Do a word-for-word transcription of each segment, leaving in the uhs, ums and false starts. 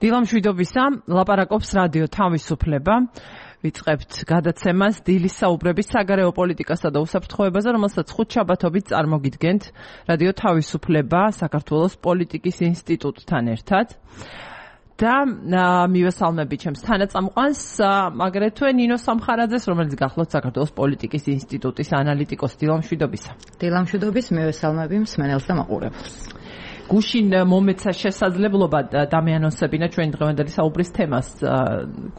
დილამშვიდობისა, ლაპარაკობს რადიო თავისუფლება. ვიწყებთ გადაცემას დილის საუბრების საგარეო პოლიტიკასა და უსაფრთხოებაზე, რომელსაც ხუთშაბათობით წარმოგიდგენთ რადიო თავისუფლება საქართველოს პოლიტიკის ინსტიტუტთან ერთად. და მივესალმები ჩემს თანაწამყვანს, აგრეთვე ნინო სამხარაძეს, რომელიც გახლავთ საქართველოს პოლიტიკის ინსტიტუტის ანალიტიკოსი. დილამშვიდობისა. დილამშვიდობის, მივესალმები მსმენელს და მაყურებელს. გუშინ მომეცა შესაძლებლობა დამეანონსებინა ჩვენი დღევანდელი საუბრის თემას.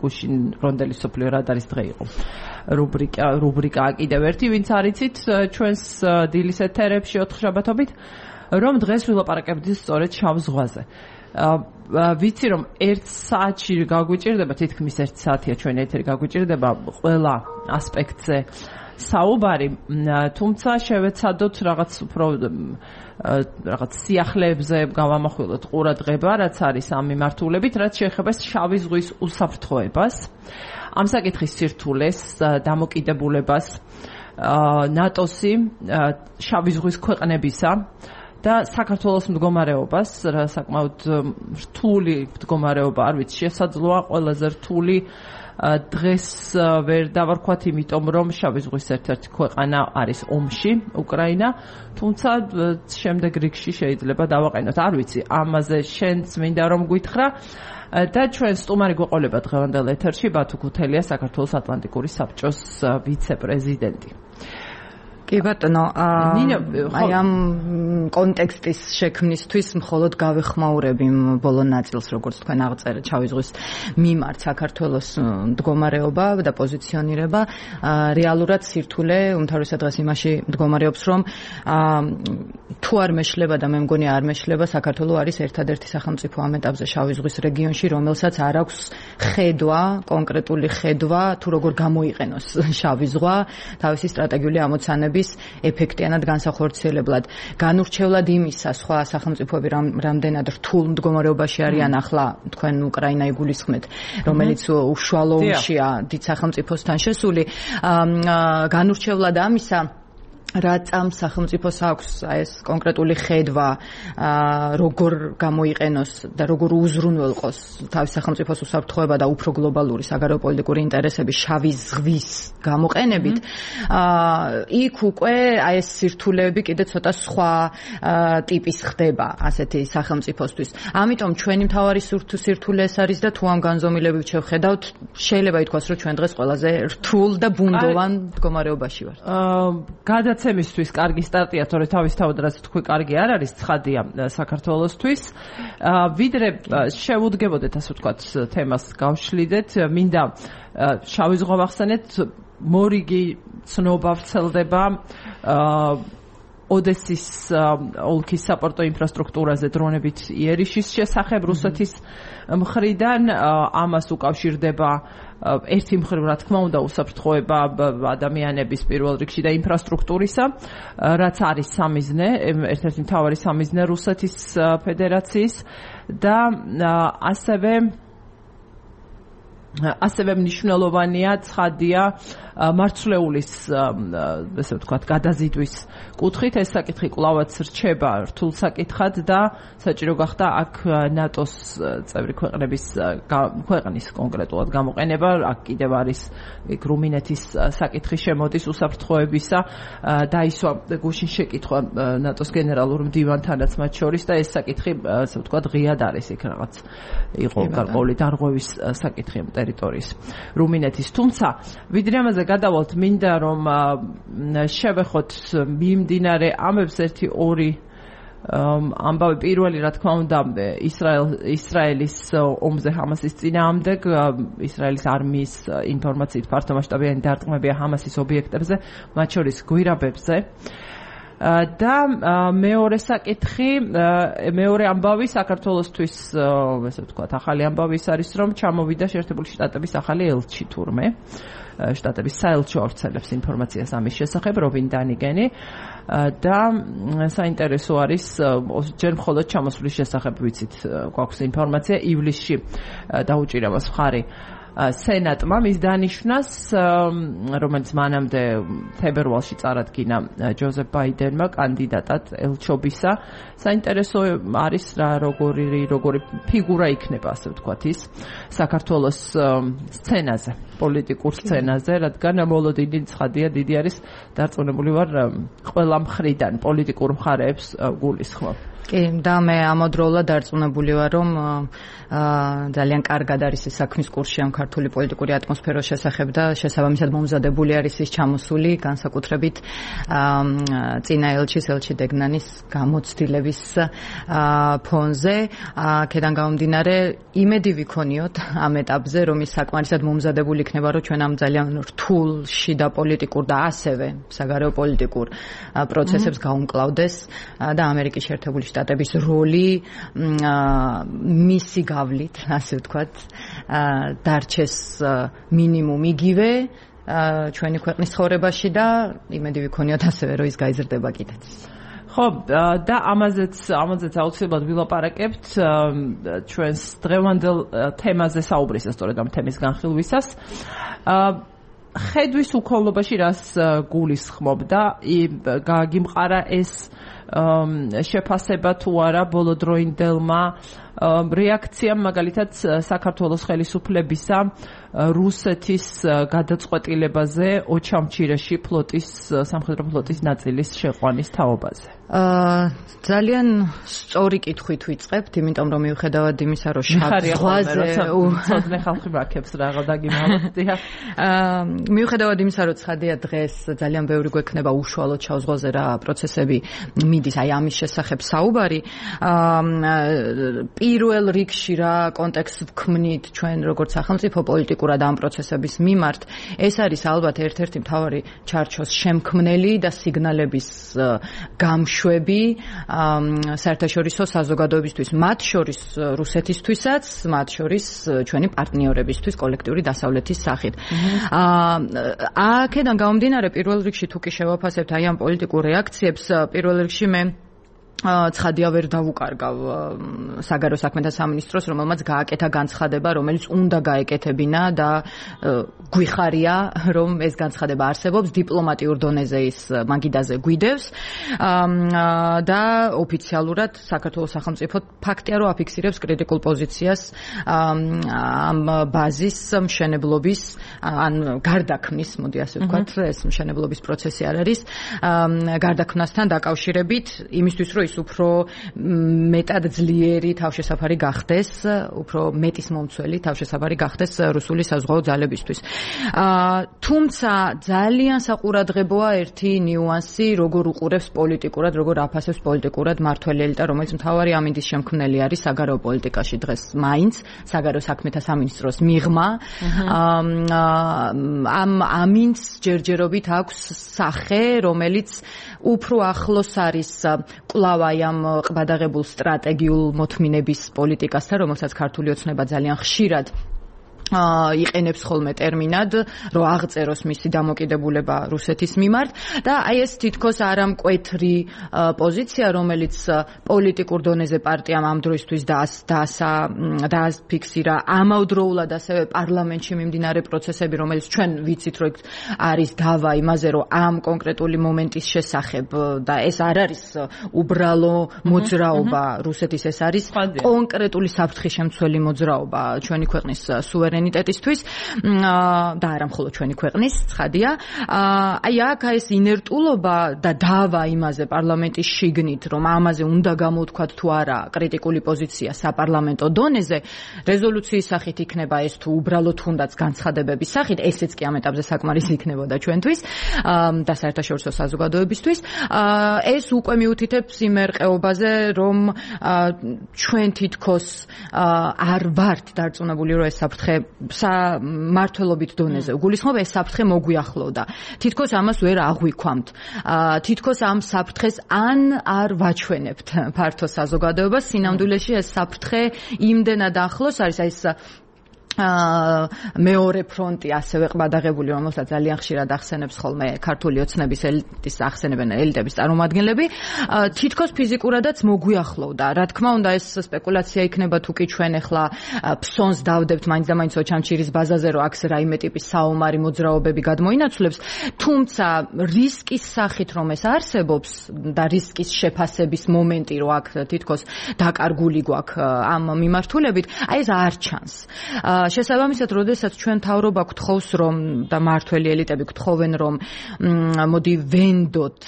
გუშინ რონდელი სოფლიო რადარის დღე იყო. რუბრიკა რუბრიკა კიდევ ერთი, ვინც არიცით ჩვენს დილის ეთერებში ოთხშაბათობით, რომ დღეს ვილაპარაკებთ სწორედ შავ ზღვაზე. ვიცი რომ ერთ საათში გაგვიჭირდება, თითქმის ერთ საათია ჩვენი ეთერი გაგვიჭირდება ყველა ასპექტზე საუბარი, თუმცა შევეცადოთ რაღაც უფრო რაღაც სიახლეებზე გავამახვილოთ ყურადღება, რაც არის ამ მიმართულებით, რაც შეეხება შავი ზღვის უსაფრთხოებას, ამ საკითხის სირთულეს, დამოკიდებულებას, ნატოსი, შავი ზღვის ქვეყნებისა და საქართველოს მდგომარეობას, რა საკმაოდ რთული მდგომარეობა, არ ვიცი, შესაძლოა ყველაზე რთული დღეს ვერ დავარქვათ, იმიტომ რომ შავი ზღვის ერთ-ერთი ქვეყანა არის ომში, უკრაინა, თუმცა შემდეგ რიგში შეიძლება დავაყენოთ. არ ვიცი, ამაზე შენც მინდა რომ გითხრა და ჩვენ სტუმარი გვეყოლება დღევანდელ ეთერში ბათუ ქუთელია, საქართველოს ატლანტიკური საბჭოს ვიცე-პრეზიდენტი. კი ბატონო, აი ამ კონტექსტის შექმნისთვის მხოლოდ გავეხმაურები ბოლო ნაწილს, როგორც თქვენ აღწერეთ, შავი ზღვის მიმართ საქართველოს მდგომარეობა და პოზიციონირება რეალურად სირთულე უმთავრესად დღეს იმაში მდგომარეობს, რომ თუ არ მეშლება და მე მგონი არ მეშლება, საქართველო არის ერთადერთი სახელმწიფო ამ ეტაპზე შავი ზღვის რეგიონში, რომელსაც არ აქვს ხედვა, კონკრეტული ხედვა, თუ როგორ გამოიყენოს შავი ზღვა თავისი სტრატეგიული ამოცანების ეფექტიანად განსახორციელებლად. განურჩევლად იმისა, სხვა სახელმწიფოები რამდენად რთულ მდგომარეობაში არიან ახლა, თქვენ უკრაინა იგულისხმეთ, რომელიც უშუალო ომშია დიდ სახელმწიფოსთან შესული, განურჩევლად ამისა, რაც ამ სახელმწიფოს აქვს ეს კონკრეტული ხედვა, როგორ გამოიყენოს და როგორ უზრუნველყოს თავის სახელმწიფოს უსაფრთხოება და უფრო გლობალური საგარეო პოლიტიკური ინტერესები შავი ზღვის გამოყენებით, იქ უკვე აი ეს სირთულეები კიდე ცოტა სხვა ტიპის ხდება ასეთი სახელმწიფოსთვის. ამიტომ ჩვენი მთავარი სირთულე ეს არის და თუ ამ განზომილებით შევხედავთ, შეიძლება ითქვას, რომ ჩვენ დღეს ყველაზე რთულ და ბუნდოვან მდგომარეობაში ვართ. გადაცემისთვის კარგი სტარტია, თორე თავისთავად რაც თქვი კარგი არ არის, ცხადია საქართველოსთვის. ვიდრე შევუდგებოდეთ, ასე ვთქვათ, თემას გავშლიდეთ, მინდა შავი ზღვა ვახსენეთ, მორიგი ცნობა ვრცელდება ოდესის ოლქის საპორტო ინფრასტრუქტურაზე დრონებით იერიშის შესახებ რუსეთის მხრიდან, ამას უკავშირდება ერთი მხრივ, რა თქმა უნდა, უსაფრთხოება ადამიანების პირველ რიგში და ინფრასტრუქტურისა, რაც არის სამიზნე, ერთ-ერთი მთავარი სამიზნე რუსეთის ფედერაციის და ასევე ასევე მნიშვნელოვანია, ცხადია, მარცვლეულის, ესე ვთქვათ, გადაზიდვის კუთხით. ეს საკითხი კვლავაც რჩება რთულ საკითხად და საჭირო გახდა აქ ნატოს წევრი ქვეყნების ქვეყნის კონკრეტულად გამოყენება. აქ კიდევ არის რუმინეთის საკითხი შემოდის უსაფრთხოებისა, დაისვა გუშინ შეკითხვა ნატოს გენერალურ მდივანთანაც მათ შორის და ეს საკითხი, ესე ვთქვათ, ღიად არის იქ რაღაც იყო გარკვეული დარღვევის საკითხი ტერიტორიის რუმინეთის. თუმცა ვიდრე ამაზე გადავალთ, მინდა რომ შევეხოთ მიმდინარე ამებს ერთი ორი ამბავი. პირველი, რა თქმა უნდა, ისრაელ ისრაელის ომზე ჰამასის წინააღმდეგ, ისრაელის არმიის ინფორმაციით ფართომასშტაბიანი დარტყმებია ჰამასის ობიექტებზე, მათ შორის გვირაბებზე. და მეორე საკითხი, მეორე ამბავი საქართველოსთვის, ესე ვთქვათ, ახალი ამბავი ის არის, რომ ჩამოვიდა შეერთებული შტატების ახალი ელჩი თურმე. შტატების საელჩო ავრცელებს ინფორმაციას ამის შესახებ, რობინ დანიგენი და საინტერესო არის, ჯერ მხოლოდ ჩამოსვლის შესახებ ვიცით, გვაქვს ინფორმაცია, ივლისში დაუჭირებას მხარი სენატმა მის დანიშვნას, რომელიც მანამდე თებერვალში წარადგინა ჯოზეფ ბაიდენმა კანდიდატად ელჩობისა. საინტერესო არის რა როგორი როგორი ფიგურა იქნება, ასე ვთქვათ, ის საქართველოს სცენაზე, პოლიტიკურ სცენაზე, რადგან მოლოდინი ცხადია დიდი არის, დარწმუნებული ვარ ყველა მხრიდან პოლიტიკურ მხარეებს გულისხმობ. კი, და მე ამავდროულად დარწმუნებული ვარ, რომ ძალიან კარგად არის ეს საქმის კურსი ამ ქართული პოლიტიკური ატმოსფეროს შესახებ და შესაბამისად მომზადებული არის ის ჩამოსული, განსაკუთრებით წინა ელჩის ელჩი დეგნანის გამოცდილების ფონზე. აქედან გამომდინარე, იმედი ვიქონიოთ ამ ეტაპზე, რომ ის საკმარისად მომზადებული იქნება, რომ ჩვენ ამ ძალიან რთულ შიდა პოლიტიკურ და ასევე საგარეო პოლიტიკურ პროცესებს გაუმკლავდეს და ამერიკის შეერთებული შტატების როლი მისი გავლით, ასე ვთქვათ, დარჩეს მინიმუმ იგივე ჩვენი ქვეყნის ცხოვრებაში და იმედი ვიქონიოთ ასევე, რომ ის გაიზრდება კიდეც. ხო, და ამაზეც ამაზეც აუცილებლად ვილაპარაკებთ ჩვენს დღევანდელ თემაზე საუბრისას, სწორედ ამ თემის განხილვისას. ხედვის უქონლობაში რას გულისხმობ და გაგიმყარა ეს შეფასება თუ არა ბოლოდროინდელმა რეაქციამ, მაგალითად საქართველოს ხელისუფლებისა რუსეთის გადაწყვეტილებაზე ოჩამჩირეში ფლოტის სამხედრო ფლოტის ნაწილის შეყვანის თაობაზე. ძალიან სწორი კითხვით ვიწყებთ, იმიტომ რომ მიუხედავად იმისა, რომ შავ ზღვაზე ცოტნე ხალხი მაქებს რაღა დაგიმალოთ. მიუხედავად იმისა, რომ ცხადია დღეს ძალიან ბევრი გვექნება უშუალოდ შავ ზღვაზე რა პროცესები მიდის, აი ამის შესახებ საუბარი. პირველ რიგში რა კონტექსტს ვქმნით ჩვენ როგორც სახელმწიფო პოლიტიკურად ამ პროცესების მიმართ, ეს არის ალბათ ერთ-ერთი მთავარი ჩარჩოს შემქმნელი და სიგნალების გამშვები საერთაშორისო საზოგადოებისთვის, მათ შორის რუსეთისთვისაც, მათ შორის ჩვენი პარტნიორებისთვის კოლექტიური დასავლეთის სახით. აქედან გამომდინარე, პირველ რიგში თუ კი შევაფასებთ აი ამ პოლიტიკურ რეაქციებს, პირველ რიგში მე ცხადია ვერ დავუკარგავ საგარეო საქმეთა სამინისტროს, რომელმაც გააკეთა განცხადება, რომელიც უნდა გაეკეთებინა და გვიხარია, რომ ეს განცხადება არსებობს, დიპლომატიურ დონეზე ის მაგიდაზე გვიდევს და ოფიციალურად საქართველოს სახელმწიფო ფაქტია, რომ აფიქსირებს კრიტიკულ პოზიციას ამ ბაზის მშენებლობის ან გარდაქმნის, მოდი ასე ვთქვათ, ეს მშენებლობის პროცესი არ არის, გარდაქმნასთან დაკავშირებით, იმისთვის რომ უფრო მეტად ძლიერი თავშესაფარი გახდეს, უფრო მეტის მომცველი თავშესაფარი გახდეს რუსული საზღვაო ძალებისთვის. თუმცა ძალიან საყურადღებოა ერთი ნიუანსი, როგორ უყურებს პოლიტიკურად, როგორ აფასებს პოლიტიკურად მართველი ელიტა, რომელიც მთავარი ამინდის შემქმნელი არის საგარეო პოლიტიკაში დღეს მაინც, საგარეო საქმეთა სამინისტროს მიღმა. ამ ამინს ჯერჯერობით აქვს სახე, რომელიც უფრო ახლოს არის კვლავ აი ამ ყბადაღებულ სტრატეგიულ მოთმინების პოლიტიკასთან, რომელსაც ქართული ოცნება ძალიან ხშირად იყენებს ხოლმე ტერმინად, რომ აღწეროს მისი დამოკიდებულება რუსეთის მიმართ და აი ეს თითქოს არამკვეთრი პოზიცია, რომელიც პოლიტიკურ დონეზე პარტიამ ამ დროისთვის დააფიქსირა, ამავდროულად ასევე პარლამენტში მიმდინარე პროცესები, რომელიც ჩვენ ვიცით, რომ არის დავა იმაზე, რომ ამ კონკრეტული მომენტის შესახებ და ეს არ არის უბრალო მოძრაობა რუსეთის, ეს არის კონკრეტული საფრთხის შემცველი მოძრაობა ჩვენი ქვეყნის სუვერენიტეტისთვის და არა მხოლოდ ჩვენი ქვეყნის, ცხადია. აი აქ ეს ინერტულობა და დავა იმაზე პარლამენტის შიგნით, რომ ამაზე უნდა გამოვთქვათ თუ არა კრიტიკული პოზიცია საპარლამენტო დონეზე, რეზოლუციის სახით იქნება ეს თუ უბრალოდ თუნდაც განცხადებების სახით, ესეც კი ამ ეტაპზე საკმარისი იქნებოდა ჩვენთვის და საერთაშორისო საზოგადოებისთვის. ეს უკვე მიუთითებს იმ ერყეობაზე, რომ ჩვენ თითქოს არ ვართ დარწმუნებული, რომ ეს საფრთხე სამართლობით დონეზე უგულისხმობ, ეს საფრთხე მოგვიახლოვდა. თითქოს ამას ვერ აღვიქვამთ. თითქოს ამ საფრთხეს ან არ ვაჩვენებთ ფართო საზოგადოებას, სინამდვილეში ეს საფრთხე იმდენად ახლოს არის, აი ეს მეორე ფრონტი ასევე ყბადაღებული, რომელსაც ძალიან ხშირად ახსენებს ხოლმე ქართული ოცნების ელიტის ახსენებენ ელიტების წარმომადგენლები, თითქოს ფიზიკურადაც მოგვიახლოვდა. რა თქმა უნდა, ეს სპეკულაცია იქნება თუ კი ჩვენ ახლა ფსონს დავდებთ მაინც და მაინც ოჩამჩირის ბაზაზე, რომ აქ რაიმე ტიპის საომარი მოძრაობები გადმოინაცვლებს, თუმცა რისკის სახით რომ ეს არსებობს და რისკის შეფასების მომენტი რომ აქ თითქოს დაკარგული გვაქვს ამ მიმართულებით, აი ეს არ ჩანს. შესაბამისად, როდესაც ჩვენ თავრობა გთხოვს რომ და მართველი ელიტები გთხოვენ რომ მოდი ვენდოთ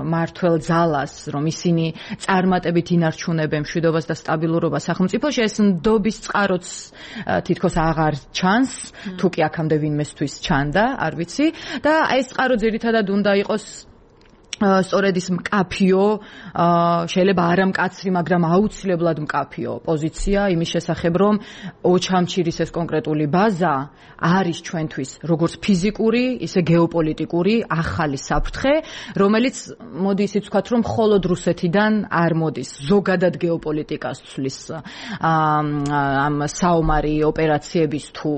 მართველ ძალას, რომ ისინი წარმატებით ინარჩუნებენ მშვიდობას და სტაბილურობას სახელმწიფოში, ეს ნდობის წყაროც თითქოს აღარ ჩანს, თუ კი აქამდე ვინმესთვის ჩანდა, არ ვიცი, და აი ეს წყარო ძირითადად უნდა იყოს სწორედ ის მკაფიო, შეიძლება არა მკაცრი, მაგრამ აუცილებლად მკაფიო პოზიცია იმის შესახებ, რომ ოჩამჩირის ეს კონკრეტული ბაზა არის ჩვენთვის როგორც ფიზიკური, ისე გეოპოლიტიკური ახალი საფრთხე, რომელიც მოდი ისიც ვთქვათ, რომ მხოლოდ რუსეთიდან არ მოდის, ზოგადად გეოპოლიტიკას ცვლის ამ საომარი ოპერაციების თუ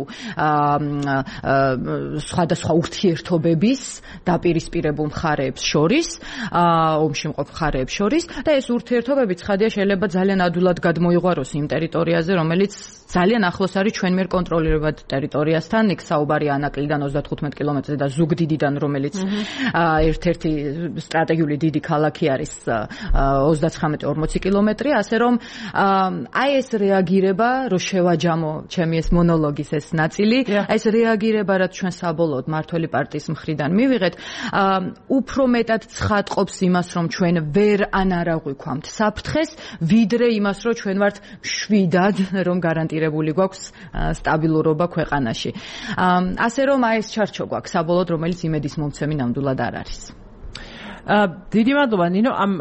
სხვადასხვა ურთიერთობების დაპირისპირებულ მხარეებს შორის, ომში მყოფ მხარეებს შორის, და ეს ურთიერთობები ცხადია შეიძლება ძალიან ადვილად გადმოიღვაროს იმ ტერიტორიაზე, რომელიც ძალიან ახლოს არის ჩვენ მიერ კონტროლირებად ტერიტორიასთან, იქ საუბარია ანაკლიდან ოცდათხუთმეტ კილომეტრზე და ზუგდიდიდან, რომელიც ერთ-ერთი სტრატეგიული დიდი ქალაქი არის ოცდაცხრამეტი ორმოცი კილომეტრი, ასე რომ აი ეს რეაგირება, რომ შევაჯამო ჩემი ეს მონოლოგის ეს ნაწილი, აი ეს რეაგირება, რაც ჩვენ საბოლოოდ მართველი პარტიის მხრიდან მივიღეთ, უფრო მეტად ცხადყოფს იმას, რომ ჩვენ ვერ ანარა გვიქვამთ საფრთხეს, ვიდრე იმას, რომ ჩვენ ვართ მშვიდად, რომ გარანტირებული გვაქვს სტაბილურობა ქვეყანაში. ასე რომ აი ეს ჩარჩო გვაქვს საბოლოოდ, რომელიც იმედის მომცემი ნამდვილად არ არის. დიდი მადლობა ნინო ამ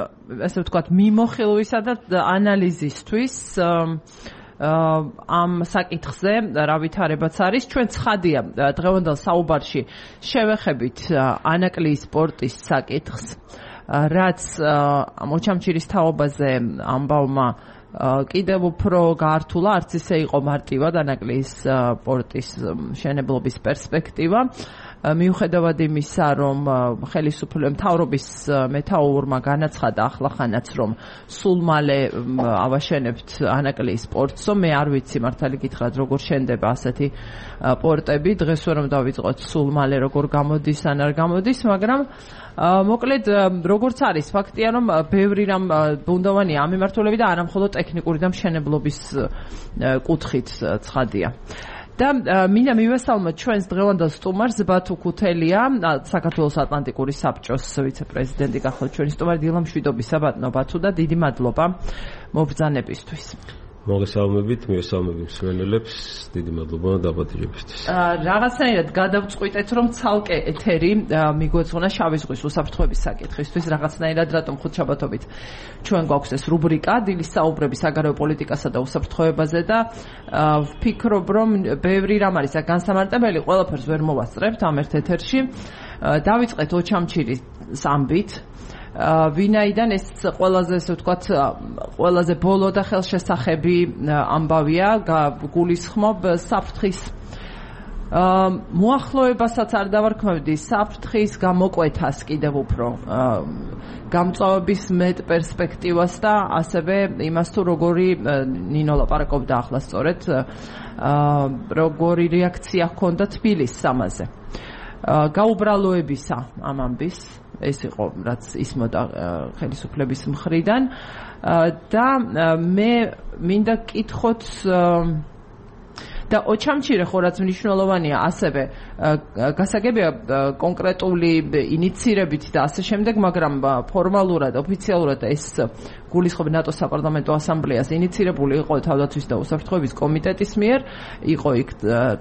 ასე ვთქვათ მიმოხილვისა და ანალიზისთვის. ამ საკითხზე რა ვითარებაც არის, ჩვენ ცხადია დღევანდელ საუბარში შევეხებით ანაკლიის პორტის საკითხს, რაც ოჩამჩირის თაობაზე ამბავმა კიდევ უფრო გაართულა, არც ისე იყო მარტივად ანაკლიის პორტის მშენებლობის პერსპექტივა. მიუხედავად იმისა, რომ ხელისუფლების მთავრობის მეთაურმა განაცხადა ახლახანაც, რომ სულ მალე ავაშენებთ ანაკლიის პორტს, მე არ ვიცი მართალი გითხრათ, როგორ შენდება ასეთი პორტები, დღეს ვერ უნდა დავიწყოთ სულ მალე როგორ გამოდის ან არ გამოდის, მაგრამ მოკლედ როგორც არის ფაქტია, რომ ბევრი რამ ბუნდოვანია ამ მიმართულებით და არა მხოლოდ ტექნიკური და მშენებლობის კუთხით ცხადია. და მინდა მივესალმოთ ჩვენს დღევანდელ სტუმარს ბათუ ქუთელია, საქართველოს ატლანტიკური საბჭოს ვიცე-პრეზიდენტი გახლავთ ჩვენი სტუმარი. დილა მშვიდობისა ბატონო ბათუ და დიდი მადლობა მობრძანებისთვის. მოგესალმებით, მივესალმები მსმენელებს, დიდი მადლობა დაბადებისთვის. რაღაცნაირად გადავწყვიტეთ, რომ ცალკე ეთერი მიგვეძღვნა შავი ზღვის უსაფრთხოების საკითხისთვის, რაღაცნაირად რატომ ხუთშაბათობით ჩვენ გვაქვს ეს რუბრიკა დილის საუბრები საგარეო პოლიტიკასა და უსაფრთხოებაზე და ვფიქრობ, რომ ბევრი რამ არის აქ განსამარტებელი, ყველაფერს ვერ მოვასწრებთ ამ ერთ ეთერში. დავიწყეთ ოჩამჩირის ამბით. ვინაიდან ეს ყველაზე ესე ვთქვათ, ყველაზე ბოლო და ხელშესახები ამბავია, გულისხმობ საფრთხის მოახლოებასაც არ დავარქმევდი, საფრთხის გამოკვეთას კიდევ უფრო გამწვავების მეტ პერსპექტივას და ასევე იმას თუ როგორი ნინო ლაპარაკობდა ახლა სწორედ როგორი რეაქცია ჰქონდა თბილისს ამაზე. გაუბრალოებისა ამ ამბის ეს იყო რაც ისმოდა ხელისუფლების მხრიდან და მე მინდა გკითხოთ და ოჩამჩირე ხო რაც მნიშვნელოვანია, ასევე გასაგებია კონკრეტული ინიციირებით და ასე შემდეგ, მაგრამ ფორმალურად, ოფიციალურად ეს გულისხმობ ნატოს საპარლამენტო ასამბლეას ინიციირებული იყო თავდაცვის და უსაფრთხოების კომიტეტის მიერ, იყო იქ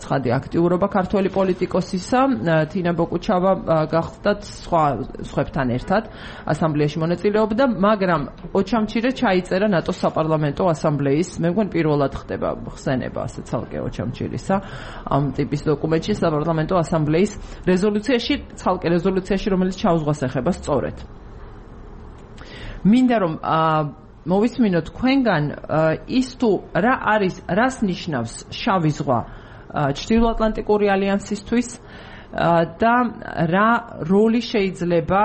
ცხადი აქტიურობა ქართველი პოლიტიკოსისა, თინა ბოკუჩავა გახდათ სხვა სხვებთან ერთად ასამბლეაში მონაწილეობდა, მაგრამ ოჩამჩირე ჩაიწერა ნატოს საპარლამენტო ასამბლეის, მე მგონი პირველად ხდება ხსენება ასე ცალკე ოჩამჩირისა ამ ტიპის დოკუმენტში საპარლამენტო ასამბლეის რეზოლუციაში, ცალკე რეზოლუციაში, რომელიც ჩაუზღვას ეხება სწორედ. მინდა რომ მოვისმინოთ თქვენგან ის თუ რა არის, რას ნიშნავს შავი ზღვა ჩრდილოატლანტიკური ალიანსისთვის და რა როლი შეიძლება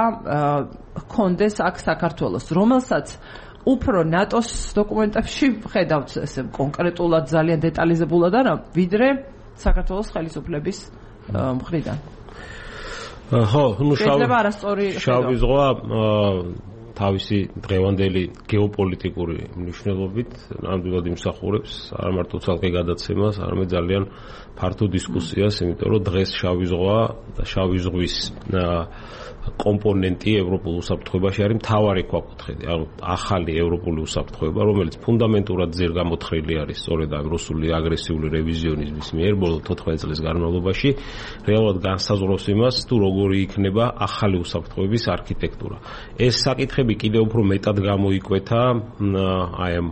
ჰქონდეს აქ საქართველოს, რომელსაც უფრო ნატოს დოკუმენტებში ხედავთ ესე კონკრეტულად ძალიან დეტალიზებულად არა, ვიდრე საქართველოს ხელისუფლების მხრიდან. ხო, ну შეიძლება არასწორი შავი ზღვა თავისი დღევანდელი გეოპოლიტიკური მნიშვნელობით ნამდვილად იმსახურებს არა მარტო ცალკე გადაცემას, არამედ ძალიან ფართო დისკუსიას, იმიტომ რომ დღეს შავი ზღვა და შავი ზღვის კომპონენტი ევროპულ უსაფრთხოებაში არის მთავარი ქვაკუთხედი, ანუ ახალი ევროპული უსაფრთხოება, რომელიც ფუნდამენტურად ძერ გამოთხრილი არის სწორედ ამ რუსული აგრესიული რევიზიონიზმის მიერ ბოლო თოთხმეტ წლის განმავლობაში, რეალურად განსაზღვრავს იმას, თუ როგორი იქნება ახალი უსაფრთხოების არქიტექტურა. ეს საკითხები კიდევ უფრო მეტად გამოიკვეთა აი ამ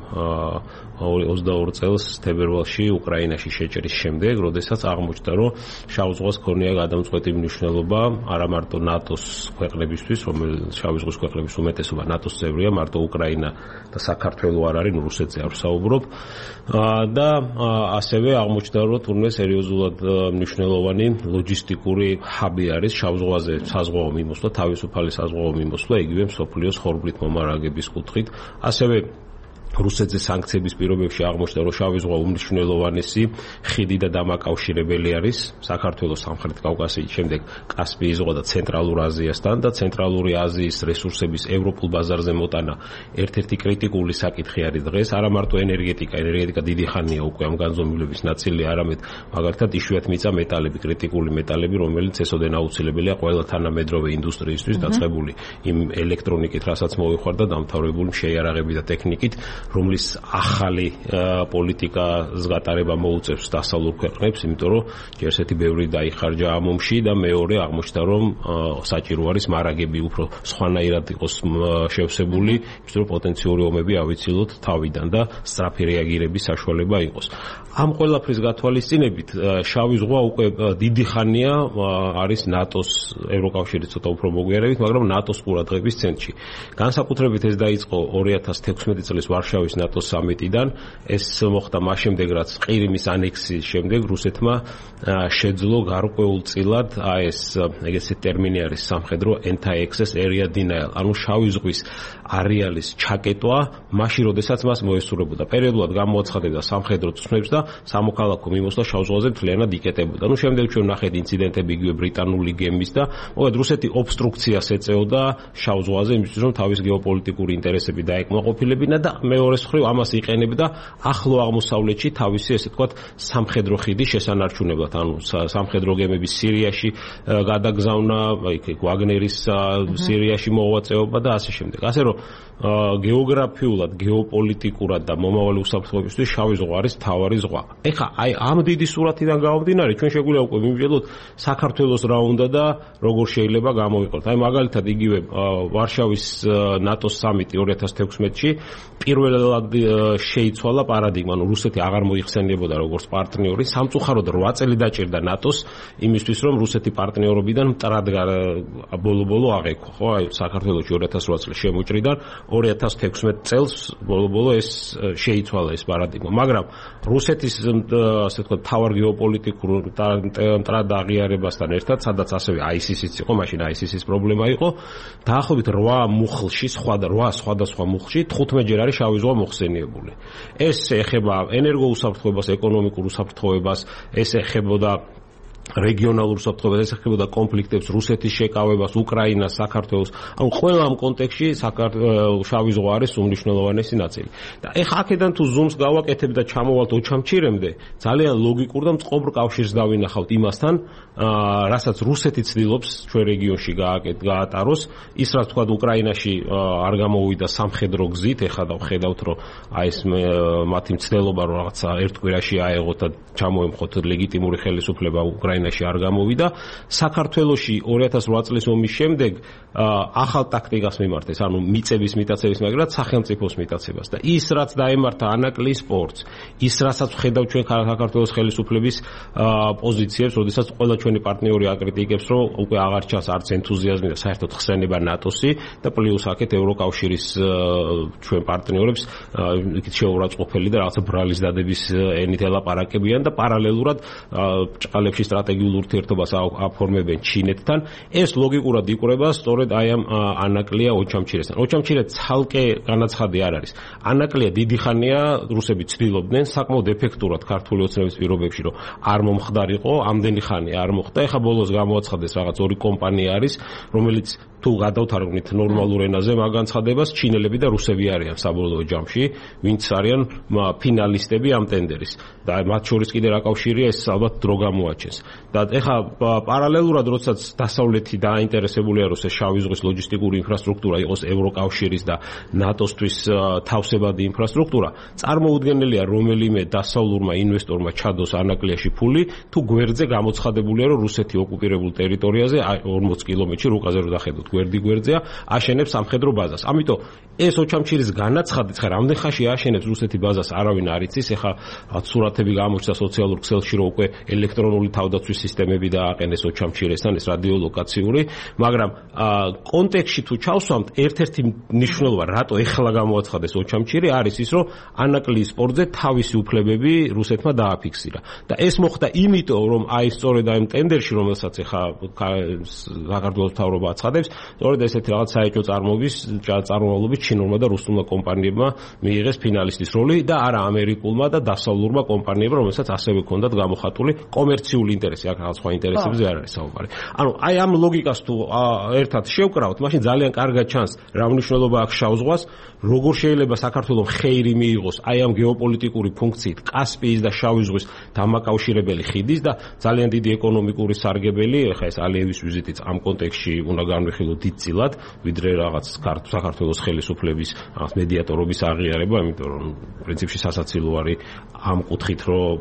ოცდაორ წელს თებერვალში უკრაინაში შეჭრის შემდეგ, როდესაც აღმოჩნდა, რომ შავ ზღვას ქონია გადამწყვეტი მნიშვნელობა არა მარტო ნატოს ქვეყნებისთვის, რომელიც შავი ზღვის ქვეყნების უმეტესობა ნატოს წევრია, მარტო უკრაინა და საქართველო არ არის, ნუ რუსეთზე არ ვსაუბრობ. და ასევე აღმოჩნდა, რომ თურმე სერიოზულად მნიშვნელოვანი ლოჯისტიკური ჰაბი არის შავ ზღვაზე საზღვაო მიმოსვლა, თავისუფალი საზღვაო მიმოსვლა, იგივე მსოფლიოს ხორბლით მომარაგების კუთხით. ასევე რუსეთზე სანქციების პირობებში აღმოჩნდა, რომ შავი ზღვა უმნიშვნელოვანესი ხიდი და დამაკავშირებელი არის საქართველოს სამხრეთ კავკასიის შემდეგ კასპიის ზღვა და ცენტრალურ აზიასთან და ცენტრალური აზიის რესურსების ევროპულ ბაზარზე მოტანა ერთ-ერთი კრიტიკული საკითხი არის დღეს, არა მარტო ენერგეტიკა, ენერგეტიკა დიდი ხანია უკვე ამ განზომილების ნაწილი, არამედ მაგალითად იშვიათ მიწა მეტალები, კრიტიკული მეტალები, რომელიც ესოდენ აუცილებელია ყველა თანამედროვე ინდუსტრიისთვის დაწყებული იმ ელექტრონიკით, რასაც მოვიხარ და დამთავრებული შეიარაღები და ტექნიკით, რომლის ახალი პოლიტიკას გატარება მოუწევს დასავლურ ქვეყნებს, იმიტომ რომ ჯერ-ერთი ბევრი დაიხარჯა ამ ომში და მეორე აღმოჩნდა, რომ საჭირო არის მარაგები უფრო სხვანაირად იყოს შევსებული, იმიტომ რომ პოტენციური ომები ავიცილოთ თავიდან და სწრაფი რეაგირების საშუალება იყოს. ამ ყველაფრის გათვალისწინებით შავი ზღვა უკვე დიდი ხანია არის ნატოს, ევროკავშირის ცოტა უფრო მოგვიარებით, მაგრამ ნატოს ყურადღების ცენტრში. განსაკუთრებით ეს დაიწყო ორი ათას თექვსმეტი წლის ვარშავის ნატოს სამიტიდან, ეს მოხდა მას შემდეგ, რაც ყირიმის ანექსიის შემდეგ რუსეთმა შეძლო გარკვეულწილად აი ეს ეგეთი ტერმინი არის სამხედრო anti-access area denial, ანუ შავი ზღვის არეალის ჩაკეტვა, მაშინ როდესაც მას მოესურვებოდა. პერიოდულად გამოაცხადებდა სამხედრო ცნებს და სამოქალაქო მიმოსვლა შავ ზღვაზე მთლიანად იკეტებოდა. ნუ შემდეგ ჩვენ ნახეთ ინციდენტები იგივე ბრიტანული გემის და მოკლედ რუსეთი ობსტრუქციას ეწეოდა შავ ზღვაზე, იმისთვის რომ თავის გეოპოლიტიკური ინტერესები დაეკმაყოფილებინა და მეორეს მხრივ ამას იყენებდა ახლო აღმოსავლეთში თავისი ესე ვთქვათ სამხედრო ხიდის შესანარჩუნებლად, ანუ სამხედრო გემების სირიაში გადაგზავნა, იქ ვაგნერის სირიაში მოღვაწეობა და ასე შემდეგ. ასე რომ გეოგრაფიულად, გეოპოლიტიკურად და მომავალი უსაფრთხოებისთვის შავი ზღვა არის მთავარი ზღვა. ეხლა აი ამ დიდი სურათიდან გამომდინარე, ჩვენ შეგვიძლია უკვე მივიძებოთ საქართველოს რა უნდა და როგორ შეიძლება გამოვიყოთ. აი მაგალითად იგივე ვარშავის ნატოს სამიტი ორი ათას თექვსმეტში პირველად შეიცვალა პარადიგმა, ანუ რუსეთი აღარ მოიხსენიებოდა როგორც პარტნიორი, სამწუხაროდ რვა წელი დაჭირდა ნატოს იმისთვის, რომ რუსეთი პარტნიორობიდან მტრად ბოლო-ბოლო აღექვა, ხო? აი საქართველოში ორი ათას რვა წლის შემოჭრიდან ორი ათას თექვსმეტ წელს ბოლო-ბოლო ეს შეიცვალა ეს პარადიგმა, მაგრამ რუსეთის ასე ვთქვათ თავარ გეოპოლიტიკურ მტრად აღიარებასთან ერთად, სადაც ასევე აი esi esi-ც იყო, მაშინ აი esi esi-ის პრობლემა იყო, დაახლოებით რვა მუხლში, სხვა და რვა სხვადასხვა მუხლში თხუთმეტ ჯერ არის შავი ზღვა მოხსენიებული. ეს ეხება ენერგოუსაფრთხოებას, ეკონომიკურ უსაფრთხოებას, ეს ეხებოდა რეგიონალურ უსაფრთხოებას, ეს ეხებოდა კონფლიქტებს, რუსეთის შეკავებას, უკრაინას, საქართველოს. ანუ ყველა ამ კონტექსტში შავი ზღვა არის უმნიშვნელოვანესი ნაწილი. და ეხლა აქედან თუ ზუმს გავაკეთებ და ჩამოვალთ ოჩამჩირემდე, ძალიან ლოგიკურ და მწყობრ კავშირს დავინახავთ იმასთან, რასაც რუსეთი ცდილობს ჩვენ რეგიონში გაატაროს, ის რაც თქვა უკრაინაში არ გამოვიდა სამხედრო გზით, ეხლა დავხედავთ, რომ აი ეს მათი მცდელობა რომ რაღაცა ერთ კვირაში აეღოთ და ჩამოემხოთ ლეგიტიმური ხელისუფლება უკრაინაში უკრაინაში არ გამოვიდა. საქართველოში ორი ათას ოთხ წლის ომის შემდეგ ახალ ტაქტიკას მიმართეს, ანუ მიწების მიტაცების მაგრად სახელმწიფოს მიტაცებას და ის რაც დაემართა ანაკლის სპორტს, ის რასაც ხედავ ჩვენ საქართველოს ხელისუფლების პოზიციებს, როდესაც ყველა ჩვენი პარტნიორი აკრიტიკებს, რომ უკვე აღარ ჩანს არც ენთუზიაზმი და საერთოდ ხსენება ნატოსი და პლუს აქეთ ევროკავშირის ჩვენ პარტნიორებს იქით შეურაცხყოფელი და რაღაცა ბრალის დადების ენით ელაპარაკებიან და პარალელურად ჭყალებში სტრატეგიულ ურთიერთობას აფორმებენ ჩინეთთან. ეს ლოგიკურად იკვრება სწორედ აი ამ ანაკლია ოჩამჩირესთან. ოჩამჩირე ცალკე განაცხადი არ არის. ანაკლია დიდი ხანია რუსები ცდილობდნენ საკმაოდ ეფექტურად ქართული ოცნების პირობებში, რომ არ მომხდარიყო, ამდენი ხანი არ მოხდა. ეხა ბოლოს გამოაცხადეს რაღაც ორი კომპანია არის, რომელიც თუ გადავთარგმნით ნორმალურ ენაზე მაგ განცხადებას, ჩინელები და რუსები არიან საბოლოო ჯამში, ვინც არიან ფინალისტები ამ ტენდერის. და მათ შორის კიდე რა კავშირია, ეს ალბათ დრო გამოაჩენს. და ეხა პარალელურად, როდესაც დასავლეთი დაინტერესებულია, რომ ეს შავი ზღვის ლოჯისტიკური ინფრასტრუქტურა იყოს ევროკავშირის და ნატოსთვის თავსებადი ინფრასტრუქტურა, წარმოუდგენელია რომელიმე დასავლურმა ინვესტორმა ჩადოს ანაკლიაში ფული, თუ გვერდზე გამოცხადებულია, რომ რუსეთი ოკუპირებულ ტერიტორიაზე ორმოც კილომეტრში რუკაზე რო დახედოთ გვერდი გვერდზეა აშენებს სამხედრო ბაზას. ამიტომ ეს ოჩამჩირის განაცხადიც ხა რამდენ ხანში აშენებს რუსეთი ბაზას არავინ არ იცის. ეხა სურათები გამოჩნდა სოციალურ ქსელში, რომ უკვე ელექტრონული თავდაცვის სისტემები დააყენეს ოჩამჩირესთან, ეს რადიოლოკაციური, მაგრამ კონტექსტში თუ ჩავსვამთ, ერთ-ერთი მნიშვნელობა, რატო ეხლა გამოაცხადეს ოჩამჩირი, არის ის, რომ ანაკლის სპორტზე თავისი უფლებები რუსეთმა დააფიქსირა. და ეს მოხდა იმიტომ, რომ აი სწორედ აი ტენდერში, რომელსაც ეხა საქართველოს მთავრობა აცხადებს, სწორედ ესეთი რაღაც საეჭვო წარმოების წარმოებლობის ჩინურმა და რუსულმა კომპანიებმა მიიღეს ფინალისტის როლი და არა ამერიკულმა და დასავლურმა კომპანიებმა, რომელსაც ასევე ჰქონდათ გამოხატული კომერციული ინტერესი, აქ რაღაც სხვა ინტერესებზე არ არის საუბარი. ანუ აი ამ ლოგიკას თუ ერთად შევკრავთ, მაშინ ძალიან კარგად ჩანს რა მნიშვნელობა აქვს შავ ზღვას, როგორ შეიძლება საქართველოს ხეირი მიიღოს აი ამ გეოპოლიტიკური ფუნქციით კასპიის და შავი ზღვის დამაკავშირებელი ხიდის და ძალიან დიდი ეკონომიკური სარგებელი, ეხა ეს ალიევის ვიზიტიც ამ კონტექსტში უნდა განვიხილოთ დიდწილად, ვიდრე რაღაც საქართველოს ხელისუფლების რაღაც მედიატორობის აღიარება, იმიტომ რომ პრინციპში სასაცილო არის ამ კუთხით, რომ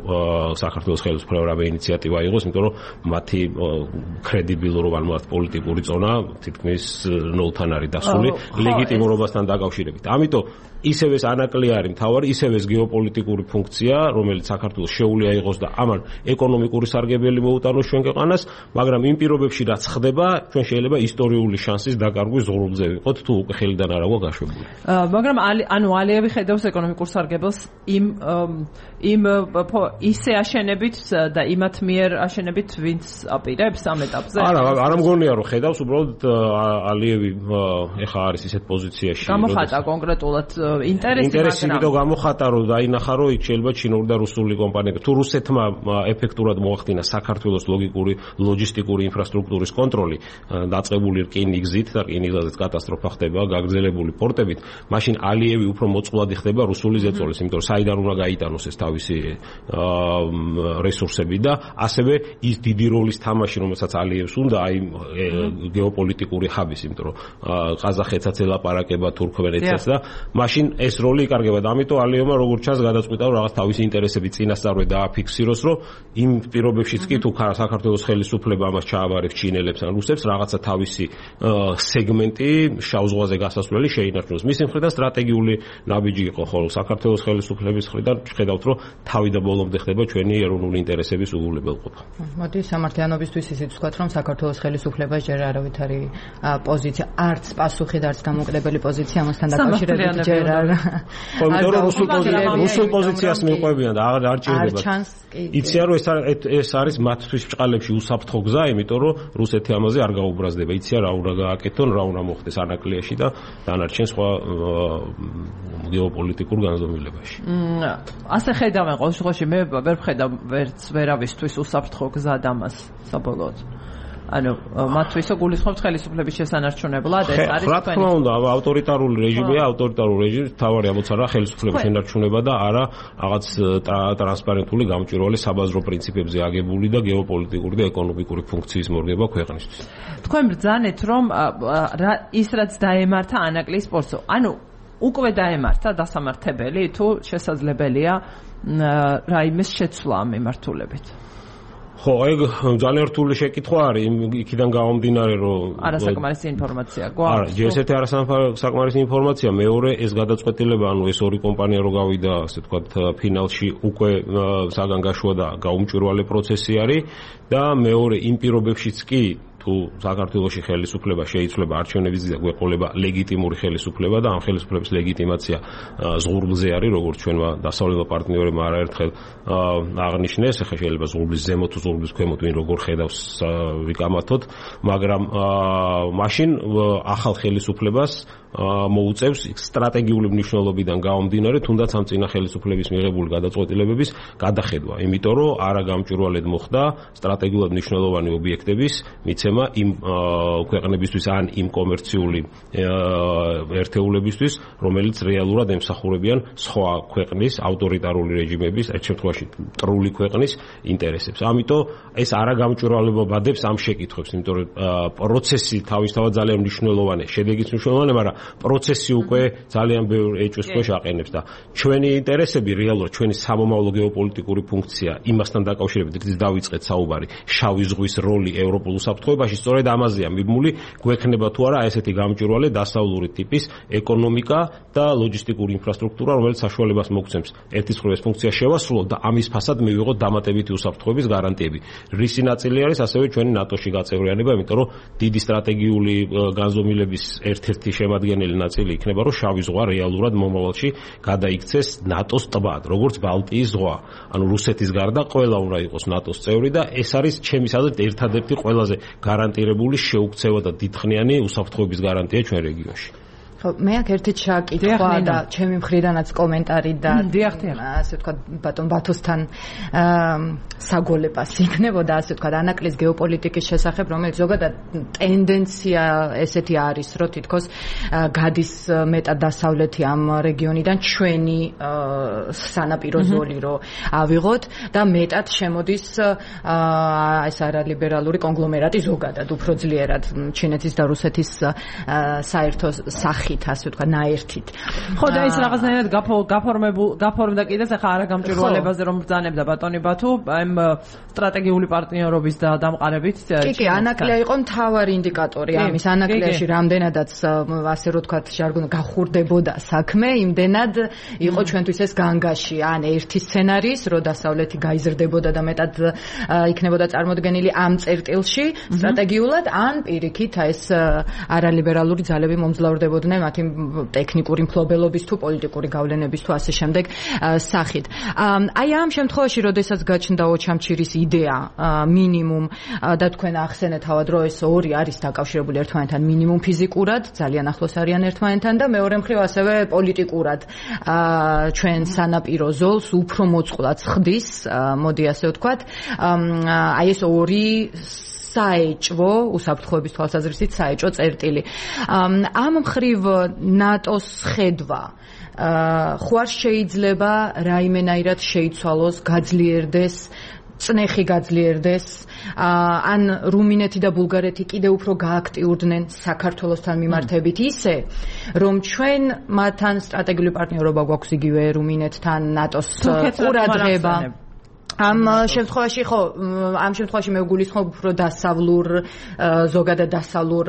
საქართველოს ხელისუფლებამ რამე ინიციატივა აიღოს, იმიტომ რომ მათი კრედიბილურობა, ანუ პოლიტიკური ზონა თითქმის ნულთან არის დასული ლეგიტიმურობასთან დაკავშირებით. ამიტომ ისევ ეს ანაკლია არის მთავარი, ისევ ეს გეოპოლიტიკური ფუნქცია, რომელიც საქართველოს შეუძლია იყოს და ამან ეკონომიკური სარგებელი მოუტანოს ჩვენ ქვეყანას, მაგრამ იმ პირობებში რაც ხდება, ჩვენ შეიძლება ისტორიული შანსის დაკარგვის ზღურბლზე ვიყოთ, თუ უკვე ხელიდან არ აქვს გაშვებული. მაგრამ ანუ ალიევი ხედავს ეკონომიკურ სარგებელს იმ იმ ისე აშენებით და იმათ მიერ აშენებით, ვინც აპირებს ამ ეტაპზე? არა, არ მგონია რომ ხედავს, უბრალოდ ალიევი ეხა არის ისეთ პოზიციაში, გამოხატა კონკრეტულად ინტერესი, ინტერესი იმიტომ გამოხატა, რომ დაინახა, რომ იქ შეიძლება ჩინური და რუსული კომპანიები, თუ რუსეთმა ეფექტურად მოახდინა საქართველოს ლოგიკური ლოჯისტიკური ინფრასტრუქტურის კონტროლი, დაწყებული რკინიგზით და რკინიგზაზეც კატასტროფა ხდება, გაგრძელებული პორტებით, მაშინ ალიევი უფრო მოწყვლადი ხდება რუსული ზეწოლის, იმიტომ რომ საიდან უნდა გაიტანოს ეს თავისი რესურსები და ასევე ის დიდი როლის თამაში, რომელსაც ალიევს უნდა, აი გეოპოლიტიკური ხაბის, იმიტომ რომ ყაზახეთსაც ელაპარაკება თურქმენეთსაც და მაშინ ეს როლი იკარგება და ამიტომ ალიევმა როგორც ჩანს გადაწყვიტა რომ რაღაც თავისი ინტერესები წინასწარვე დააფიქსიროს, რომ იმ პირობებშიც კი თუ საქართველოს ხელისუფლება ამას ჩააბარებს ჩინელებს ან რუსებს რაღაცა თავისი სეგმენტი შავ ზღვაზე გასასვლელი შეინარჩუნოს. მისი მხრიდან სტრატეგიული ნაბიჯი იყო, ხოლო საქართველოს ხელისუფლების მხრიდან ხედავთ, რომ თავი და ბოლომდე ხდება ჩვენი ეროვნული ინტერესების უგულებელყოფა. მოდი სამართლიანობისთვის ისიც ვთქვათ, რომ საქართველოს ხელისუფლებას ჯერ არავითარი პოზიცია, არც პასუხი და არც დამოკიდებელი პოზიცია ამასთან დაკავშირებით ჯერ არ. იმიტომ რომ რუსულ პოზიციას მიყვებიან და აღარ არ ჭირდება. იციან რომ ეს არის მათთვის ბჭყალებში უსაფრთხო გზა, იმიტომ რომ რუსეთი ამაზე არ გაუბრაზდება. იციან რა უნდა გააკეთონ, რა უნდა მოხდეს ანაკლიაში და დანარჩენ სხვა გეოპოლიტიკურ განზომილებაში. ასე ხედავენ ყოველ შემთხვევაში, მე ვერ ვხედავ ვერც ვერავისთვის უსაფრთხო გზა ამას საბოლოოდ. ანუ მათთვის გულისხმობთ ხელისუფლების შესანარჩუნებლად, ეს არის თქვენი. რა თქმა უნდა, ავტორიტარული რეჟიმია, ავტორიტარული რეჟიმის თავარი ამოცანა ხელისუფლების შენარჩუნება და არა რაღაც ტრანსპარენტული გამჭვირვალე საბაზრო პრინციპებზე აგებული და გეოპოლიტიკური და ეკონომიკური ფუნქციის მორგება ქვეყნისთვის. თქვენ ბრძანეთ, რომ ის რაც დაემართა ანაკლის სპორტს, ანუ უკვე დაემართა დასამართებელი თუ შესაძლებელია რაიმეს შეცვლა ამ მიმართულებით? ხო, ეგ ძალიან რთული შეკითხვა არის, იქიდან გამომდინარე, რომ არასაკმარისი ინფორმაცია გვაქვს. არა, ჯერ ესეთი არასაკმარისი ინფორმაცია, მეორე ეს გადაწყვეტილება, ანუ ეს ორი კომპანია რო გავიდა, ასე ვთქვათ, ფინალში უკვე საგან გაშუა და გაუმჭვირვალე პროცესი არის და მეორე იმ პირობებშიც კი თუ საქართველოში ხელისუფლება შეიცვლება არჩევნების და გვეყოლება ლეგიტიმური ხელისუფლება და ამ ხელისუფლების ლეგიტიმაცია ზღურბლზე არის, როგორც ჩვენმა დასავლელმა პარტნიორებმა არაერთხელ აღნიშნეს, ახლა შეიძლება ზღურბლის ზემოთ თუ ზღურბლის ქვემოთ ვინ როგორ ხედავს ვიკამათოთ, მაგრამ მაშინ ახალ ხელისუფლებას მოუწევს სტრატეგიული მნიშვნელობიდან გამომდინარე, თუნდაც ამ წინა ხელისუფლების მიღებული გადაწყვეტილებების გადახედვა, იმიტომ რომ არა გამჭვირვალედ მოხდა სტრატეგიულად მნიშვნელოვანი ობიექტების მიცემა იმ ქვეყნებისთვის ან იმ კომერციული ერთეულებისთვის, რომელიც რეალურად ემსახურებიან სხვა ქვეყნის ავტორიტარული რეჟიმების, ერთ შემთხვევაში მტრული ქვეყნის ინტერესებს. ამიტომ ეს არა გამჭვირვალებადებს ამ შეკითხვებს, იმიტომ რომ პროცესი თავისთავად ძალიან მნიშვნელოვანია, შედეგიც მნიშვნელოვანია, მაგრამ პროცესი უკვე ძალიან ბევრ ეჭვს ქვეშ აყენებს და ჩვენი ინტერესები რეალურად ჩვენი სამომავლო გეოპოლიტიკური ფუნქცია იმასთან დაკავშირებით რითიც დავიწყეთ საუბარი, შავი ზღვის როლი ევროპულ უსაფრთხოებაში სწორედ ამაზეა მიბმული, გვექნება თუ არა ესეთი გამჭვირვალე დასავლური ტიპის ეკონომიკა და ლოჯისტიკური ინფრასტრუქტურა, რომელიც საშუალებას მოგცემს ერთის მხრივ ეს ფუნქცია შევასრულოთ და ამის ფასად მივიღოთ დამატებითი უსაფრთხოების გარანტიები. რისი ნაწილი არის ასევე ჩვენი ნატოში გაწევრიანება, იმიტომ რომ დიდი სტრატეგიული განზომილების ერთ-ერთი შემადგენელი ნაწილი იქნება, რომ შავი ზღვა რეალურად მომავალში გადაიქცეს ნატოს ტბად, როგორც ბალტიის ზღვა. ანუ რუსეთის გარდა ყველა უნდა იყოს ნატოს წევრი და ეს არის ჩემის აზრით ერთადერთი ყველაზე გარანტირებული შეუქცევა და დიდხნიანი უსაფრთხოების გარანტია ჩვენ რეგიონში. ხო, მე აქ ერთი ჩაკითხვა და ჩემი მხრიდანაც კომენტარი და ასე ვთქვათ ბატონ ბათოსთან საგოლებას იქნებოდა, ასე ვთქვათ, ანაკლის გეოპოლიტიკის შესახებ, რომელიც ზოგადად ტენდენცია ესეთი არის, რომ თითქოს გადის მეტად დასავლეთი ამ რეგიონიდან ჩვენი სანაპირო ზოლი რო ავიღოთ და მეტად შემოდის ეს არალიბერალური კონგლომერატი ზოგადად უფრო ძლიერად ჩინეთის და რუსეთის საერთო სახით ასე ვთქვა ნაერთით. ხო და ის რაღაცნაირად გაფორმებულ გაფორმდა კიდეც ახლა არა გამჭვირვალებაზე რომ ბრძანებდა ბატონი ბათუ ამ სტრატეგიული პარტნიორობის და დამყარებით. კი კი, ანაკლია იყო მთავარი ინდიკატორი ამის. ანაკლიაში რამდენადაც ასე რომ ვთქვა ჟარგონი გახურდებოდა საქმე, იმდენად იყო ჩვენთვის ეს განგაში, ან ერთი სცენარის, რომ დასავლეთი გაიზრდებოდა და მეტად იქნებოდა წარმოდგენილი ამ წერტილში სტრატეგიულად, ან პირიქით ეს არალიბერალური ძალები მომძლავრდებოდნენ მათი ტექნიკური მფლობელობის თუ პოლიტიკური გავლენების თუ ასე შემდეგ სახით. აი ამ შემთხვევაში, როდესაც გაჩნდა ოჩამჩირის იდეა მინიმუმ და თქვენ ახსენეთ თავად, რომ ეს ორი არის დაკავშირებული ერთმანეთთან მინიმუმ ფიზიკურად, ძალიან ახლოს არიან ერთმანეთთან და მეორე მხრივ ასევე პოლიტიკურად ჩვენ სანაპირო ზოლს უფრო მოწყვლად ხდის, მოდი ასე ვთქვათ, აი ეს ორი საეჭვო უსაფრთხოების თვალსაზრისით საეჭვო წერტილი. ამ მხრივ ნატოს ხედვა ხო არ შეიძლება რაიმენაირად შეიცვალოს, გაძლიერდეს, წნეხი გაძლიერდეს, ან რუმინეთი და ბულგარეთი კიდევ უფრო გააქტიურდნენ საქართველოსთან მიმართებით ისე, რომ ჩვენ მათთან სტრატეგიული პარტნიორობა გვაქვს იგივე რუმინეთთან, ნატოს ყურადღება. ამ შემთხვევაში ხო, ამ შემთხვევაში მე ვგულისხმობ უფრო დასავლურ, ზოგადად დასავლურ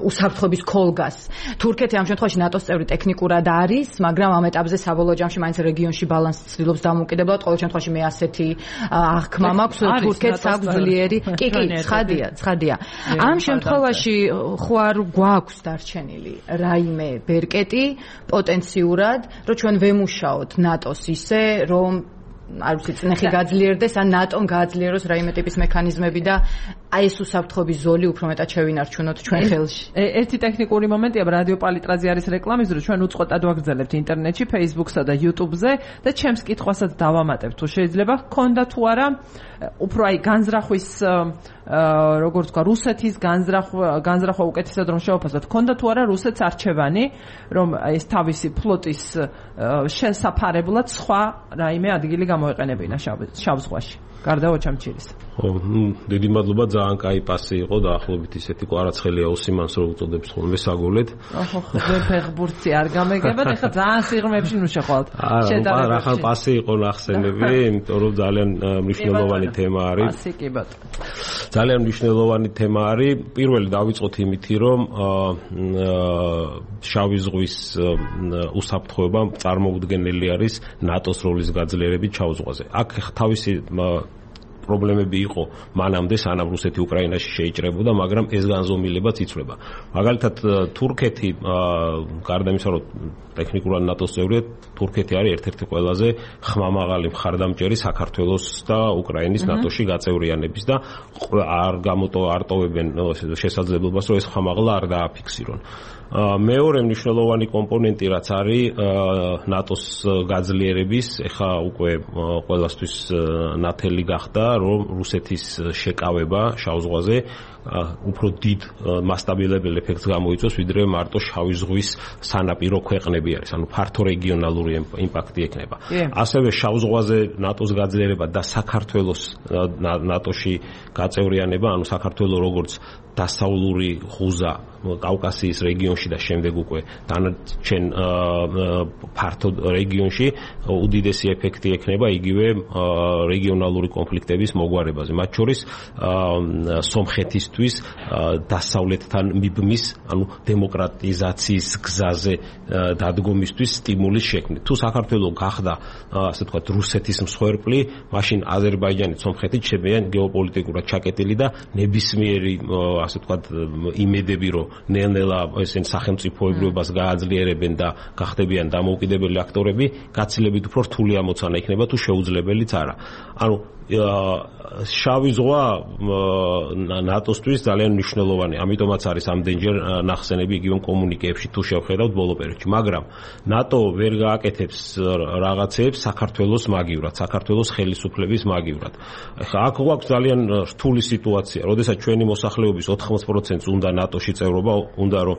უსაფრთხოების ქოლგას. თურქეთი ამ შემთხვევაში ნატოს წევრი ტექნიკურად არის, მაგრამ ამ ეტაპზე საბოლოო ჯამში მაინც რეგიონში ბალანსი ცდილობს დამოუკიდებლად. ყოველ შემთხვევაში მე ასეთი აღქმა მაქვს, თურქეთს აქვს ძლიერი. კი, კი, ცხადია, ცხადია. ამ შემთხვევაში ხო არ გვაქვს დარჩენილი რაიმე ბერკეტი პოტენციურად, რომ ჩვენ ვემუშაოთ ნატოს ისე, რომ არ ვიცი, წნეხი გაძლიერდეს, ან ნატომ გააძლიეროს რაიმე ტიპის მექანიზმები და აი ეს უსაფრთხოების ზოლი უფრო მეტად შევინარჩუნოთ ჩვენ ხელში. ერთი ტექნიკური момენტია, რადიო პალიტრაზე არის რეკლამის დრო, ჩვენ უწყოტად ვაგრძელებთ ინტერნეტში, Facebook-სა და YouTube-ზე და ჩემს კითხვასაც დავამატებ, თუ შეიძლება ჰქონდა თუ არა უფრო აი განზრახვის როგორც თქვა რუსეთის განზრახვა განზრახვა უკეთესად რომ შევაფასოთ, ჰქონდა თუ არა რუსეთს არჩევანი, რომ ეს თავისი ფლოტის შესაფარებლად სხვა რაიმე ადგილი გამოეყენებინა შავ ზღვაში. გარდა ოჩამჩირის. ხო, დიდი მადლობა, ძალიან კაი პასი იყო და ახლობით ისეთი კვარაცხელია ოსიმანს რო უწოდებს ხოლმე საგოლეთ. ოხო, ხო, ფეხბურთი არ გამეგებათ, ეხლა ძალიან სიღრმეებში ნუ შეხვალთ. არა, რახან პასი იყო ნახსენები, იმიტომ რომ ძალიან მნიშვნელოვანი თემა არის. პასი კი ბატონო. ძალიან მნიშვნელოვანი თემა არის. პირველი დავიწყოთ იმითი, რომ შავი ზღვის უსაფრთხოება წარმოუდგენელი არის ნატოს როლის გაძლიერებით შავ ზღვაზე. აქ თავისი პრობლემები იყო მანამდე, სანამ რუსეთი უკრაინაში შეიჭრებოდა, მაგრამ ეს განზომილებაც იცვლება. მაგალითად, თურქეთი, გარდა იმისა, რომ ტექნიკურად ნატოს წევრია, თურქეთი არის ერთ-ერთი ყველაზე ხმამაღალი მხარდამჭერი საქართველოს და უკრაინის ნატოში გაწევრიანების და არ გამოტო არ ტოვებენ შესაძლებლობას, რომ ეს ხმამაღლა არ დააფიქსირონ. მეორე მნიშვნელოვანი კომპონენტი რაც არის ნატოს გაძლიერების, ეხა უკვე ყველასთვის ნათელი გახდა, რომ რუსეთის შეკავება შავ ზღვაზე უფრო დიდ მასტაბილებელ ეფექტს გამოიწვევს, ვიდრე მარტო შავი ზღვის სანაპირო ქვეყნები არის, ანუ ფართო რეგიონალური იმპაქტი ექნება. ასევე შავ ზღვაზე ნატოს გაძლიერება და საქართველოს ნატოში გაწევრიანება, ანუ საქართველოს როგორც დასავლური ხუზა კავკასიის რეგიონში და შემდეგ უკვე დანარჩენ ფართო რეგიონში უდიდესი ეფექტი ექნება იგივე რეგიონალური კონფლიქტების მოგვარებაზე, მათ შორის სომხეთისთვის დასავლეთთან მიბმის, ანუ დემოკრატიზაციის გზაზე დადგომისთვის სტიმულის შექმნით. თუ საქართველოს გახდა, ასე ვთქვათ, რუსეთის მსხვერპლი, მაშინ აზერბაიჯანი, სომხეთი ჩემიან გეოპოლიტიკურად ჩაკეტილი და ნებისმიერი, ასე ვთქვათ, იმედები, რომ ნელ-ნელა ესენ სახელმწიფოებრიობას გააძლიერებენ და გახდებიან დამოუკიდებელი აქტორები, გაცილებით უფრო რთული ამოცანა იქნება, თუ შეუძლებელიც არა. ანუ შავი ზღვა ნატოსთვის ძალიან მნიშვნელოვანი, ამიტომაც არის ამდენჯერ ნახსენები იგივე კომუნიკეებში თუ შევხედავთ ბოლო პერიოდში, მაგრამ ნატო ვერ გააკეთებს რაღაცებს საქართველოს მაგივრად, საქართველოს ხელისუფლების მაგივრად. ახლა აქ გვაქვს ძალიან რთული სიტუაცია, როდესაც ჩვენი მოსახლეობის ოთხმოცდაათი პროცენტს უნდა ნატოში წევრობა, უნდა რომ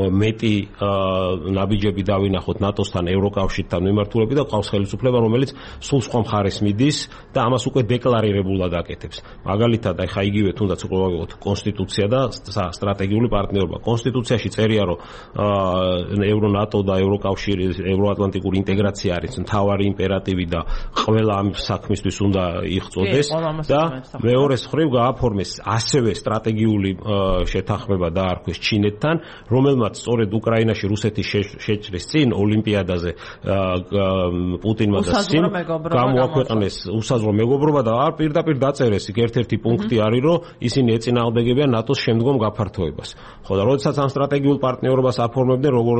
მეტი ნაბიჯები დავინახოთ ნატოსთან, ევროკავშირთან მიმართულებით და ყავს ხელისუფლება, რომელიც სულ სხვა მხარეს მიდის და ამას უკვე დეკლარირებულად აკეთებს. მაგალითად, ახლა იგივე თუნდაც უკვე ვაგებოთ კონსტიტუცია და სტრატეგიული პარტნიორობა. კონსტიტუციაში წერია, რომ ევრონატო და ევროკავშირი, ევროატლანტიკური ინტეგრაცია არის მთავარი იმპერატივი და ყველა ამ საქმისთვის უნდა იღვწოდეს და მეორე მხრივ გააფორმეს ასევე სტრატეგიული შეთანხმება დაარქვეს ჩინეთთან, რომელმაც სწორედ უკრაინაში რუსეთის შეჭრის წინ ოლიმპიადაზე პუტინმა და სიმ გამოაქვეყნეს უსაზღვრო მეგობრობა და არ პირდაპირ დაწერეს იქ ერთ-ერთი პუნქტი არის, რომ ისინი ეწინააღმდეგებიან ნატოს შემდგომ გაფართოებას. ხო და როდესაც ამ სტრატეგიულ პარტნიორობას აფორმებდნენ, როგორ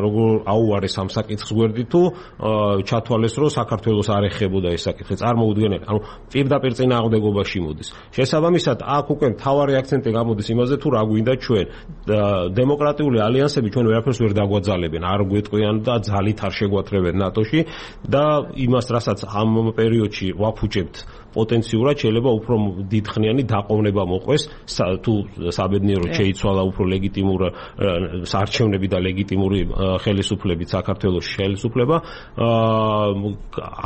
როგორ აუარეს ამ საკითხს გვერდით, თუ ჩათვალეს, რომ საქართველოს არ ეხებოდა ეს საკითხი, წარმოუდგენელი, ანუ პირდაპირ წინააღმდეგობაში მოდის. შესაბამისად, აქ უკვე მთავარი აქცენტი გამოდის იმაზე, თუ რა გვინდა ჩვენ. დემოკრატიული ალიანსები ჩვენ ვერაფერს ვერ დაგვაძალებენ, არ გვეტყვიან და ძალით არ შეგვათრებენ ნატოში და იმას, რასაც ამ პერიოდში ვაფუჭებთ პოტენციურად შეიძლება უფრო დიდხნიანი დაყოვნება მოყვეს, თუ საბედნიეროდ შეიცვალა უფრო ლეგიტიმურ საარჩევნები და ლეგიტიმური ხელისუფლებით საქართველოს ხელისუფლება,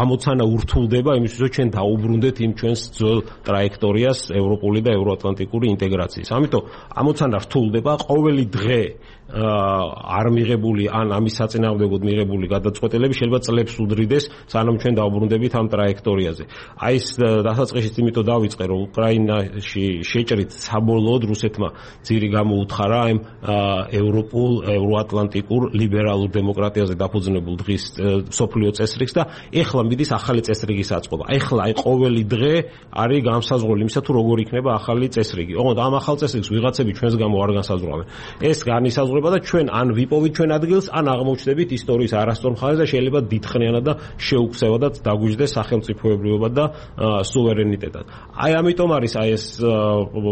ამოცანა ურთულდება იმისთვის, რომ ჩვენ დაუბრუნდეთ იმ ჩვენს ძველ ტრაექტორიას ევროპული და ევროატლანტიკური ინტეგრაციის. ამიტომ ამოცანა რთულდება, ყოველი დღე არ მიღებული ან ამის საწინააღმდეგოდ მიღებული გადაწყვეტილები შეიძლება წლებს უდრიდეს, სანამ ჩვენ დავუბრუნდებით ამ ტრაექტორიაზე. აი ეს დასაწყისით იმიტომ დავიწყე, რომ უკრაინაში შეჭრით საბოლოოდ რუსეთმა ძირი გამოუთხარა ამ ევროპულ, ევროატლანტიკურ ლიბერალურ დემოკრატიაზე დაფუძნებულ დღის მსოფლიო წესრიგს და ეხლა მიდის ახალი წესრიგის აწყობა. ეხლა აი ყოველი დღე არის განსაზღვრული იმისა, თუ როგორ იქნება ახალი წესრიგი. ოღონდ ამ ახალ წესრიგს ვიღაცები ჩვენს გამო არ განსაზღვრავენ. ეს განისაზღვრება და ჩვენ ან ვიპოვით ჩვენ ადგილს, ან აღმოჩნდებით ისტორიის არასწორ მხარეს და შეიძლება დიდხნიანად და შეუქცევადად დაგვიჯდეს სახელმწიფოებრიობა და სუვერენიტეტად. აი ამიტომ არის აი ეს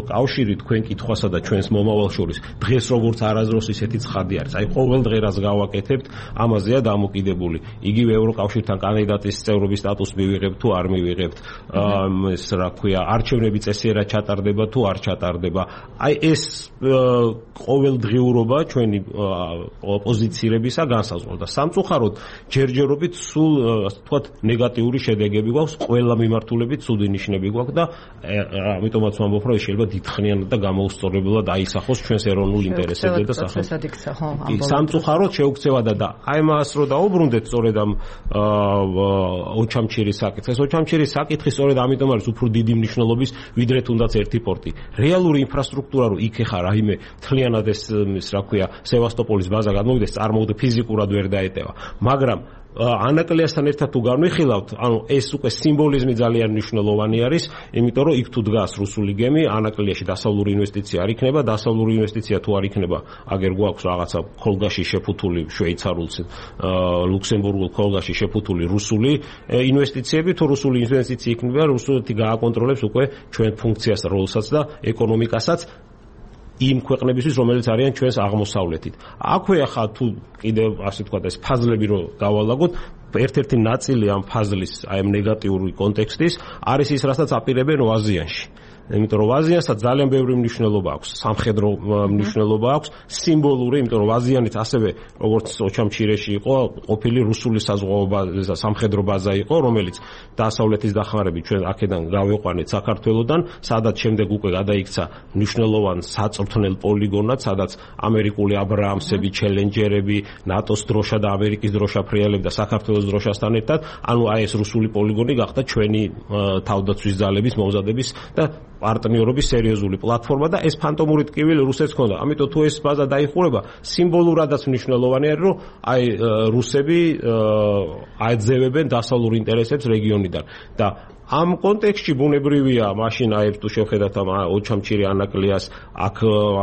კავშირი თქვენ კითხვასა და ჩვენს მომავალ შორის დღეს როგორც არასდროს ისეთი ცხადი არის. აი ყოველ დღე რაც გავაკეთებთ, ამაზეა დამოკიდებული. იგივე ევროკავშირთან კანდიდატის წევრობის სტატუსს მივიღებთ თუ არ მივიღებთ, ეს რა ქვია, არჩევნები წესიერად ჩატარდება თუ არ ჩატარდება. აი ეს ყოველდღიურობა ჩვენი ოპოზიციელებისა განსაზღვრა და სამწუხაროდ ჯერჯერობით სულ ასე ვთქვათ ნეგატიური შედეგები გვაქვს ყველა მიმართულებით ცუდი ნიშნები გვაქვს და ამიტომაც ვამბობ, რომ შეიძლება დიდხნიანად და გამოუსწორებლად აისახოს ჩვენს ეროვნულ ინტერესებზე და სახელმწიფო. სამწუხაროდ შეუქცევადა და აი მას რო დაუბრუნდეთ სწორედ ამ ოჩამჩირის საკითხს. ოჩამჩირის საკითხი სწორედ ამიტომ არის უფრო დიდი მნიშვნელობის ვიდრე თუნდაც ერთი პორტი. რეალური ინფრასტრუქტურა რო იქ ეხა რაიმე მთლიანად ეს რა ქვია სევასტოპოლის ბაზა გადმოვიდეს, წარმოუდგეთ ფიზიკურად ვერ დაეტევა. მაგრამ ანაკლიასთან ერთად თუ განვიხილავთ, ანუ ეს უკვე სიმბოლიზმი ძალიან მნიშვნელოვანი არის, იმიტომ რომ იქ თუ დგას რუსული გემი, ანაკლიაში დასავლური ინვესტიცია არ იქნება, დასავლური ინვესტიცია თუ არ იქნება, აგერ გვაქვს რაღაცა ქოლგაში შეფუთული შვეიცარულ, ლუქსემბურგულ ქოლგაში შეფუთული რუსული ინვესტიციები, თუ რუსული ინვესტიცია იქნება, რუსეთი გააკონტროლებს უკვე ჩვენ ფუნქციას, როლსაც და ეკონომიკასაც იმ ქვეყნებისთვის, რომელიც არიან ჩვენს აღმოსავლეთით. აქვე ახლა თუ კიდევ ასე ვთქვათ, ეს ფაზლები რო დავალაგოთ, ერთ-ერთი ნაწილი ამ ფაზლის, აი ამ ნეგატიური კონტექსტის არის ის, რასაც აპირებენ აზიანში. იმიტომ რომ აზიანსაც ძალიან ბევრი მნიშვნელობა აქვს, სამხედრო მნიშვნელობა აქვს, სიმბოლური, იმიტომ რომ აზიანიც ასევე როგორც ოჩამჩირეში იყო, ყოფილი რუსული საზღვაო ბაზა, სამხედრო ბაზა იყო, რომელიც დასავლეთის დახმარებით ჩვენ აქედან გავიყვანეთ საქართველოსდან, სადაც შემდეგ უკვე გადაიქცა მნიშვნელოვან საწვრთნელ პოლიგონად, სადაც ამერიკული აბრაამსები, ჩელენჯერები, ნატოს დროშა და ამერიკის დროშა ფრიალებდა საქართველოს დროშასთან ერთად, ანუ აი ეს რუსული პოლიგონი გახდა ჩვენი თავდაცვის ძალების მომზადების და პარტნიორობის სერიოზული პლატფორმა და ეს ფანტომური ტკივილი რუსეთს ჰქონდა. ამიტომ თუ ეს ბაზა დაიხურება, სიმბოლურადაც მნიშვნელოვანი არის, რომ აი რუსები აეძევებენ დასავლურ ინტერესებს რეგიონიდან და ამ კონტექსტში ბუნებრივია, მაშინ აი თუ შევხედათ ამ ოჩამჩირი ანაკლიას, აქ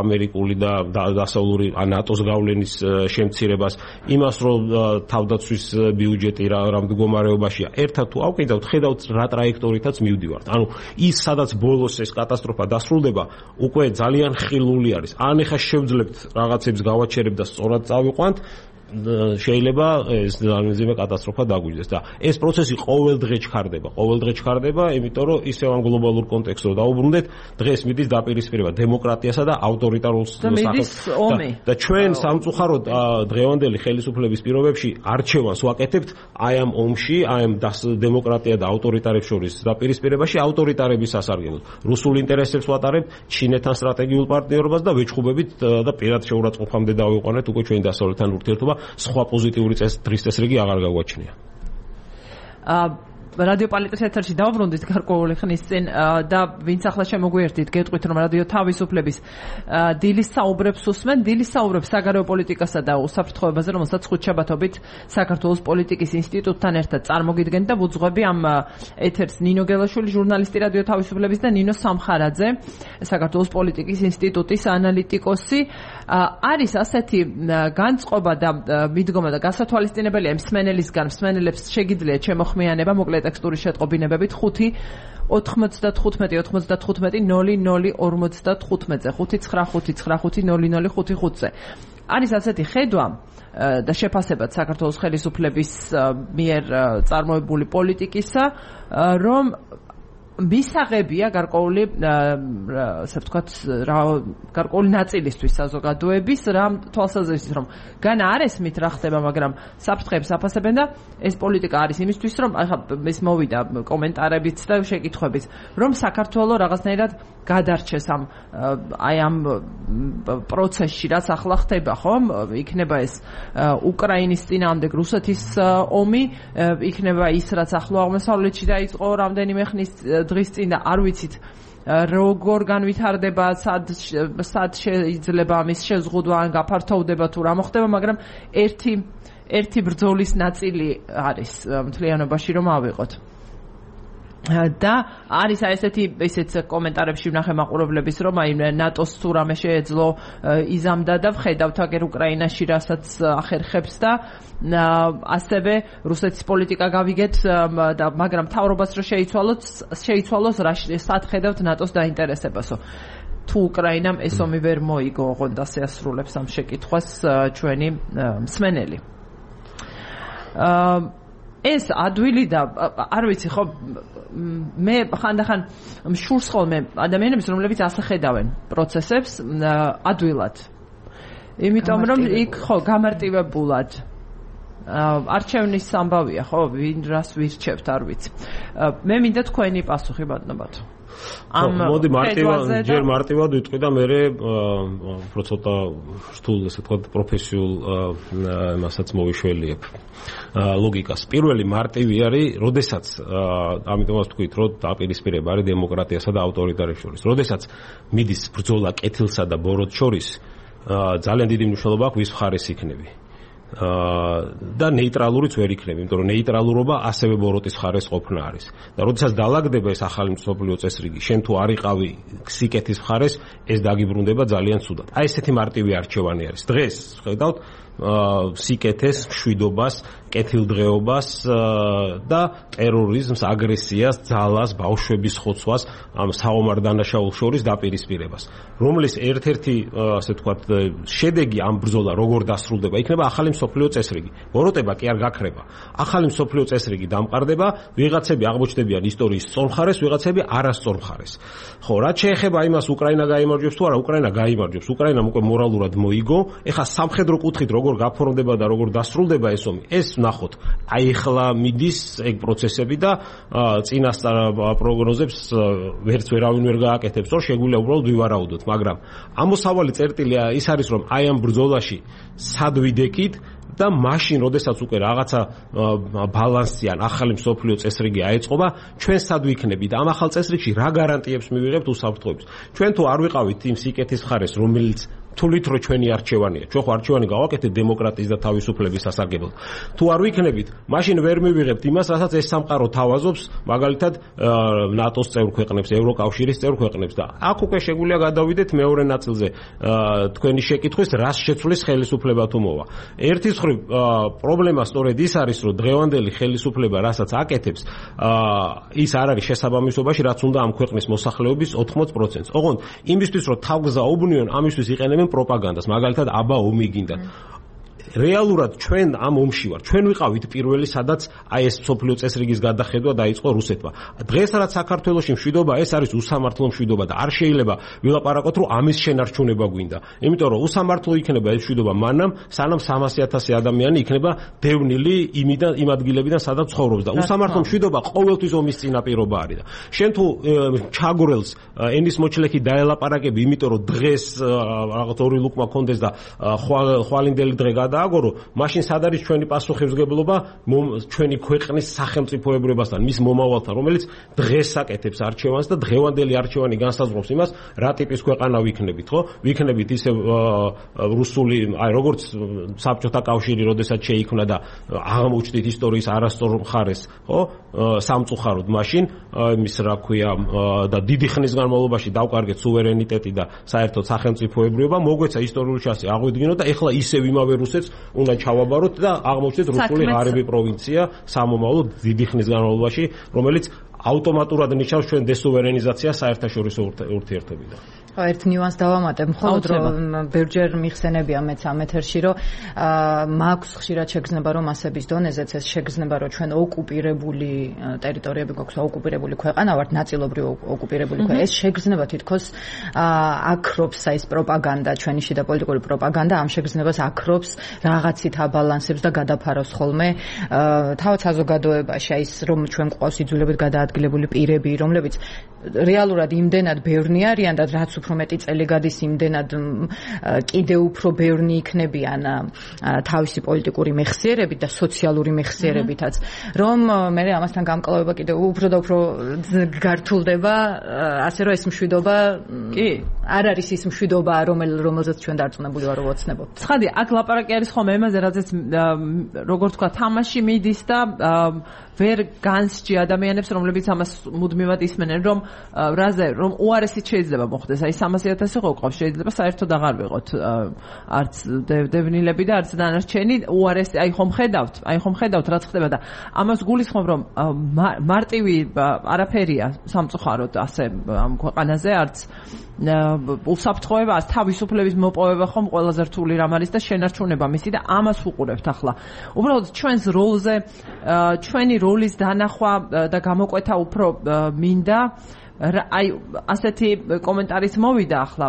ამერიკული და დასავლური ნატოს გავლენის შემცირებას, იმას რომ თავდაცვის ბიუჯეტი რა მდგომარეობაშია, ერთად თუ ავყიდავთ, ხედავთ რა ტრაექტორითაც მივდივართ. ანუ ის სადაც ბოლოს ეს კატასტროფა დასრულდება, უკვე ძალიან ხილული არის. ან ეხა შევძლებთ რაღაცებს გავაჩერებთ და სწორად წავიყვანთ, შეიძლება ეს ძალიან კატასტროფა დაგვიჯდეს და ეს პროცესი ყოველ დღე ჩქარდება, ყოველ დღე ჩქარდება, იმიტომ რომ ისევ ამ გლობალურ კონტექსტს რო დაუბრუნდეთ, დღეს მიდის დაპირისპირება დემოკრატიასა და ავტორიტარულ სახელმწიფოს და ჩვენ სამწუხაროდ დღევანდელი ხელისუფლების პირობებში არჩევანს ვაკეთებთ აი ამ ომში, აი ამ დემოკრატია და ავტორიტარებს შორის დაპირისპირებაში ავტორიტარების სასარგებლოდ. რუსულ ინტერესებს ვატარებთ, ჩინეთთან სტრატეგიულ პარტნიორობას და ვეჩხუბებით და პირად შეურაცხყოფამდე დავიყვანეთ უკვე ჩვენი დასავლეთთან ურთიერთობა. სხვა პოზიტიური დღის წესრიგი აღარ გაგვაჩნია. რადიო პოლიტიკის ეთერში დავბრუნდით გარკვეული ხნის წინ და ვინც ახლა შემოგვიერთით, გეტყვით რომ რადიო თავისუფლების დილის საუბრებს უსმენ, დილის საუბრებს საგარეო პოლიტიკასა და უსაფრთხოებაზე, რომელსაც ხუთშაბათობით საქართველოს პოლიტიკის ინსტიტუტთან ერთად წარმოგიდგენთ და ვუძღვები ამ ეთერს ნინო გელაშვილი, ჟურნალისტი რადიო თავისუფლების და ნინო სამხარაძე, საქართველოს პოლიტიკის ინსტიტუტის ანალიტიკოსი. არის ასეთი განწყობა და მიდგომა და გასათვალისწინებელია მსმენელისგან, მსმენელებს შეგიძლიათ შემოხმიანება მოკლედ ტექსტური შეტყობინებებით ხუთი ოთხმოცდათხუთმეტი ოთხმოცდათხუთმეტი ნული ნული ორმოცდათხუთმეტზე ხუთი ცხრა ხუთი ცხრა ხუთი ნული ნული ხუთი ხუთზე. არის ასეთი ხედვა და შეფასებად საქართველოს ხელისუფლების მიერ წარმოებული პოლიტიკისა, რომ მისაღებია გარკვეული ასე ვთქვათ რა გარკვეული ნაწილისთვის საზოგადოების რა თვალსაზრისით რომ განა არ ესმით რა ხდება, მაგრამ საფრთხეებს აფასებენ და ეს პოლიტიკა არის იმისთვის რომ ახლა ეს მოვიდა კომენტარებიც და შეკითხვებით რომ საქართველოს რაღაცნაირად გადარჩეს ამ აი ამ პროცესში რაც ახლა ხდება, ხომ? იქნება ეს უკრაინის წინააღმდეგ რუსეთის ომი, იქნება ის რაც ახლო აღმოსავლეთში დაიწყო რამდენიმე ხნის დღის წინ და არ ვიცით როგორ განვითარდება, სად სად შეიძლება ამის შეზღუდვა ან გაფართოვდება თუ რა მოხდება, მაგრამ ერთი ერთი ბრძოლის ნაწილი არის მთლიანობაში რომ ავიღოთ. და არის აი ესეთი ესეც კომენტარებში ვნახე მაყურებლების რომ აი ნატოს თუ რამე შეეძლო იზამდა და ვხედავთ აგერ უკრაინაში რასაც ახერხებს და ასევე რუსეთის პოლიტიკა გავიგეთ და მაგრამ მთავრობას რო შეიცვალოთ შეიცვალოს რა სად ხედავთ ნატოს დაინტერესებასო. თუ უკრაინამ ეს ომი ვერ მოიგო, ოღონდ ასე ასრულებს ამ შეკითხვას ჩვენი მსმენელი. ეს ადვილი და არ ვიცი ხო მე ხანდახან მშურს ხოლმე ადამიანებს რომლებიც ასე ხედავენ პროცესებს ადვილად, იმიტომ რომ იქ ხო გამარტივებულად არჩევნის ამბავია, ხო, ვინ რას ვირჩევთ, არ ვიცი. მე მინდა თქვენი პასუხი ბატონებად. ამ მოდი მარტივად ჯერ მარტივად ვიტყვი და მე უფრო ცოტა რთულ ესე ვთქვათ პროფესიულ იმასაც მოვიშველიებ ლოგიკას. პირველი მარტივი არის, როდესაც ამიტომაც ვთქვით, რომ დაპირისპირება არის დემოკრატიასა და ავტორიტარიზმის შორის. როდესაც მიდის ბრძოლა კეთილსა და ბოროტს შორის, ძალიან დიდი მნიშვნელობა აქვს ვის მხარეს იქნები. და ნეიტრალურიც ვერ იქნები, იმიტომ რომ ნეიტრალურობა ასევე ბოროტის მხარეს ყოფნა არის. და როდესაც დაალაგდება ეს ახალი მსოფლიო წესრიგი, შენ თუ არ იყავი სიკეთის მხარეს, ეს დაგიბრუნდება ძალიან ცუდად. აი ესეთი მარტივი არჩევანი არის. დღეს ხედავთ სიკეთეს, მშვიდობას, კეთილდღეობას და ტერორიზმს, აგრესიას, ძალას, ბავშვების ხოცვას, ამ საომარ დანაშაულ შორის დაპირისპირებას. რომლის ერთ-ერთი, ასე ვთქვათ, შედეგი ამ ბრძოლა როგორ დასრულდება, იქნება ახალი მსოფლიო წესრიგი. ბოროტება კი არ გაქრება. ახალი მსოფლიო წესრიგი დამყარდება, ვიღაცები აღმოჩნდებიან ისტორიის სწორ მხარეს, ვიღაცები არასწორ მხარეს. ხო, რაც შეეხება იმას, უკრაინა გაიმარჯვებს თუ არა, უკრაინა გაიმარჯვებს. უკრაინამ უკვე მორალურად მოიგო. ეხლა სამხედრო კუთხით როგორ გაფორმდება და როგორ დასრულდება ეს ომი, ეს ვნახოთ. აი ეხლა მიდის ეგ პროცესები და წინასწარ პროგნოზებს ვერც ვერავინ ვერ გააკეთებს, რომ შეგვიძლია უბრალოდ ვივარაუდოთ, მაგრამ ამოსავალი წერტილი ის არის, რომ აი ამ ბრძოლაში სად ვიდექით და მაშინ, როდესაც უკვე რაღაცა ბალანსი ან ახალი მსოფლიო წესრიგი აეწყობა, ჩვენ სად ვიქნებით და ამ ახალ წესრიგში რა გარანტიებს მივიღებთ უსაფრთხოების. ჩვენ თუ არ ვიყავით იმ სიკეთის მხარეს, რომელიც თulit რო ჩვენი არჩევანია. ჩვენ ხო არჩევანი გავაკეთეთ დემოკრატიის და თავისუფლების სასარგებლოდ. თუ არ ვიქნებით, მაშინ ვერ მივიღებთ იმას, რასაც ეს სამყარო თავაზობს, მაგალითად ნატოს წევრ ქვეყნებს, ევროკავშირის წევრ ქვეყნებს და აქ უკვე შეგვიძლია გადავიდეთ მეორე ნაწილზე თქვენი შეკითხვის, რას შეცვლის ხელისუფლება თუ მოვა. ერთის მხრივ პრობლემა სწორედ ის არის, რომ დღევანდელი ხელისუფლება, რასაც აკეთებს, ის არ არის შესაბამისობაში, რაც უნდა ამ ქვეყნის მოსახლეობის ოთხმოც პროცენტს. ოღონდ იმისთვის, რომ თავგზაობნიონ, ამისთვის იყენებენ პროპაგანდას, მაგალითად აბა ომი გინდა. რეალურად ჩვენ ამ ომში ვარ. ჩვენ ვიყავით პირველი, სადაც აი ეს მსოფლიო წესრიგის გადახედვა დაიწყო რუსეთმა. დღეს რაც საქართველოში მშვიდობა, ეს არის უსამართლო მშვიდობა და არ შეიძლება ვილაპარაკოთ, რომ ამის შენარჩუნება გვინდა. იმიტომ რომ უსამართლო იქნება ეს მშვიდობა მანამ, სანამ სამასი ათასი ადამიანი იქნება დევნილი იმიდან იმ ადგილებიდან, სადაც ცხოვრობს და უსამართლო მშვიდობა ყოველთვის ომის წინაპირობა არის და შენ თუ ჩაგვრელს ენის მოჩლექი დაელაპარაკები, იმიტომ რომ დღეს რაღაც ორი ლუკმა კონდეს და ხვალინდელი დღე გადააგორო, მაშინ სად არის ჩვენი პასუხისმგებლობა ჩვენი ქვეყნის სახელმწიფოებრიობასთან, მის მომავალთან, რომელიც დღეს აკეთებს არჩევანს და დღევანდელი არჩევანი განსაზღვრავს იმას, რა ტიპის ქვეყანა ვიქნებით, ხო? ვიქნებით ისე რუსული, აი როგორც საბჭოთა კავშირი, როდესაც შეიქმნა და აღმოჩნდით ისტორიის არასწორ მხარეს, ხო? სამწუხაროდ მაშინ იმის რა ქვია და დიდი ხნის განმავლობაში დავკარგეთ სუვერენიტეტი და საერთოდ სახელმწიფოებრიობა, მოგვეცა ისტორიული ჩასი აღვიდგინოთ და ეხლა ისევ იმავე რუსეთს უნდა ჩავაბაროთ და აღმოჩნდეთ რუსული ღარიბი პროვინცია სამომავლო დიდი ხნის განმავლობაში, რომელიც ავტომატურად ნიშნავს ჩვენ დესუვერენიზაციას საერთაშორისო ურთიერთობიდან. ხო, ერთ ნიუანს დავამატებ, მხოლოდ რომ ბევრჯერ მიხსენებია მეც ამ ეთერში, რომ მაქვს ხშირად შეგრძნება, რომ მასების დონეზეც ეს შეგრძნება, რომ ჩვენ ოკუპირებული ტერიტორიები გვაქვს, ოკუპირებული ქვეყანა ვართ, ნაწილობრივ ოკუპირებული ქვეყანა. ეს შეგრძნება თითქოს აქრობს ეს პროპაგანდა, ჩვენი შიდა პოლიტიკური პროპაგანდა ამ შეგრძნებას აქრობს, რაღაცით აბალანსებს და გადაფარავს ხოლმე თავად საზოგადოებაში, აი ის რომ ჩვენ გვყავს იძულებით გადაადგილებული პირები, რომლებიც რეალურად იმდენად ბევრნი არიან და რაც უფრო მეტი წელი გადის, იმდენად კიდევ უფრო ბევრნი იქნებიან თავისი პოლიტიკური მეხსიერებით და სოციალური მეხსიერებითაც, რომ მე ამასთან გამკლავება კიდევ უფრო და უფრო გართულდება, ასე რომ ეს მშვიდობა კი არ არის ის მშვიდობა, რომელზეც ჩვენ დარწმუნებული ვარ, რომ ოცნებობთ. ცხადი, აქ ლაპარაკი არის ხოლმე იმაზე, რაზეც როგორ თქვა, თამაში მიდის და ვერ განსჯი ადამიანებს, რომლებიც ამას მუდმივად ისმენენ, რომ რაზე, რომ უარესით შეიძლება მოხდეს. აი სამასი ათასი ხო ყავს, შეიძლება საერთოდ აღარ ვიყოთ არც დევნილები და არც დანარჩენი, უარესი, აი ხომ ხედავთ, აი ხომ ხედავთ რაც ხდება და ამას გულისხმობ, რომ მარტივი არაფერია სამწუხაროდ ასე ამ ქვეყანაზე, არც უსაფრთხოება, თავისუფლების მოპოვება ხომ ყველაზე რთული რამ არის და შენარჩუნება მისი და ამას ვუყურებთ ახლა. უბრალოდ ჩვენს როლზე, ჩვენი როლის დანახვა და გამოკვეთა უფრო მინდა, აი ასეთი კომენტარიც მოვიდა ახლა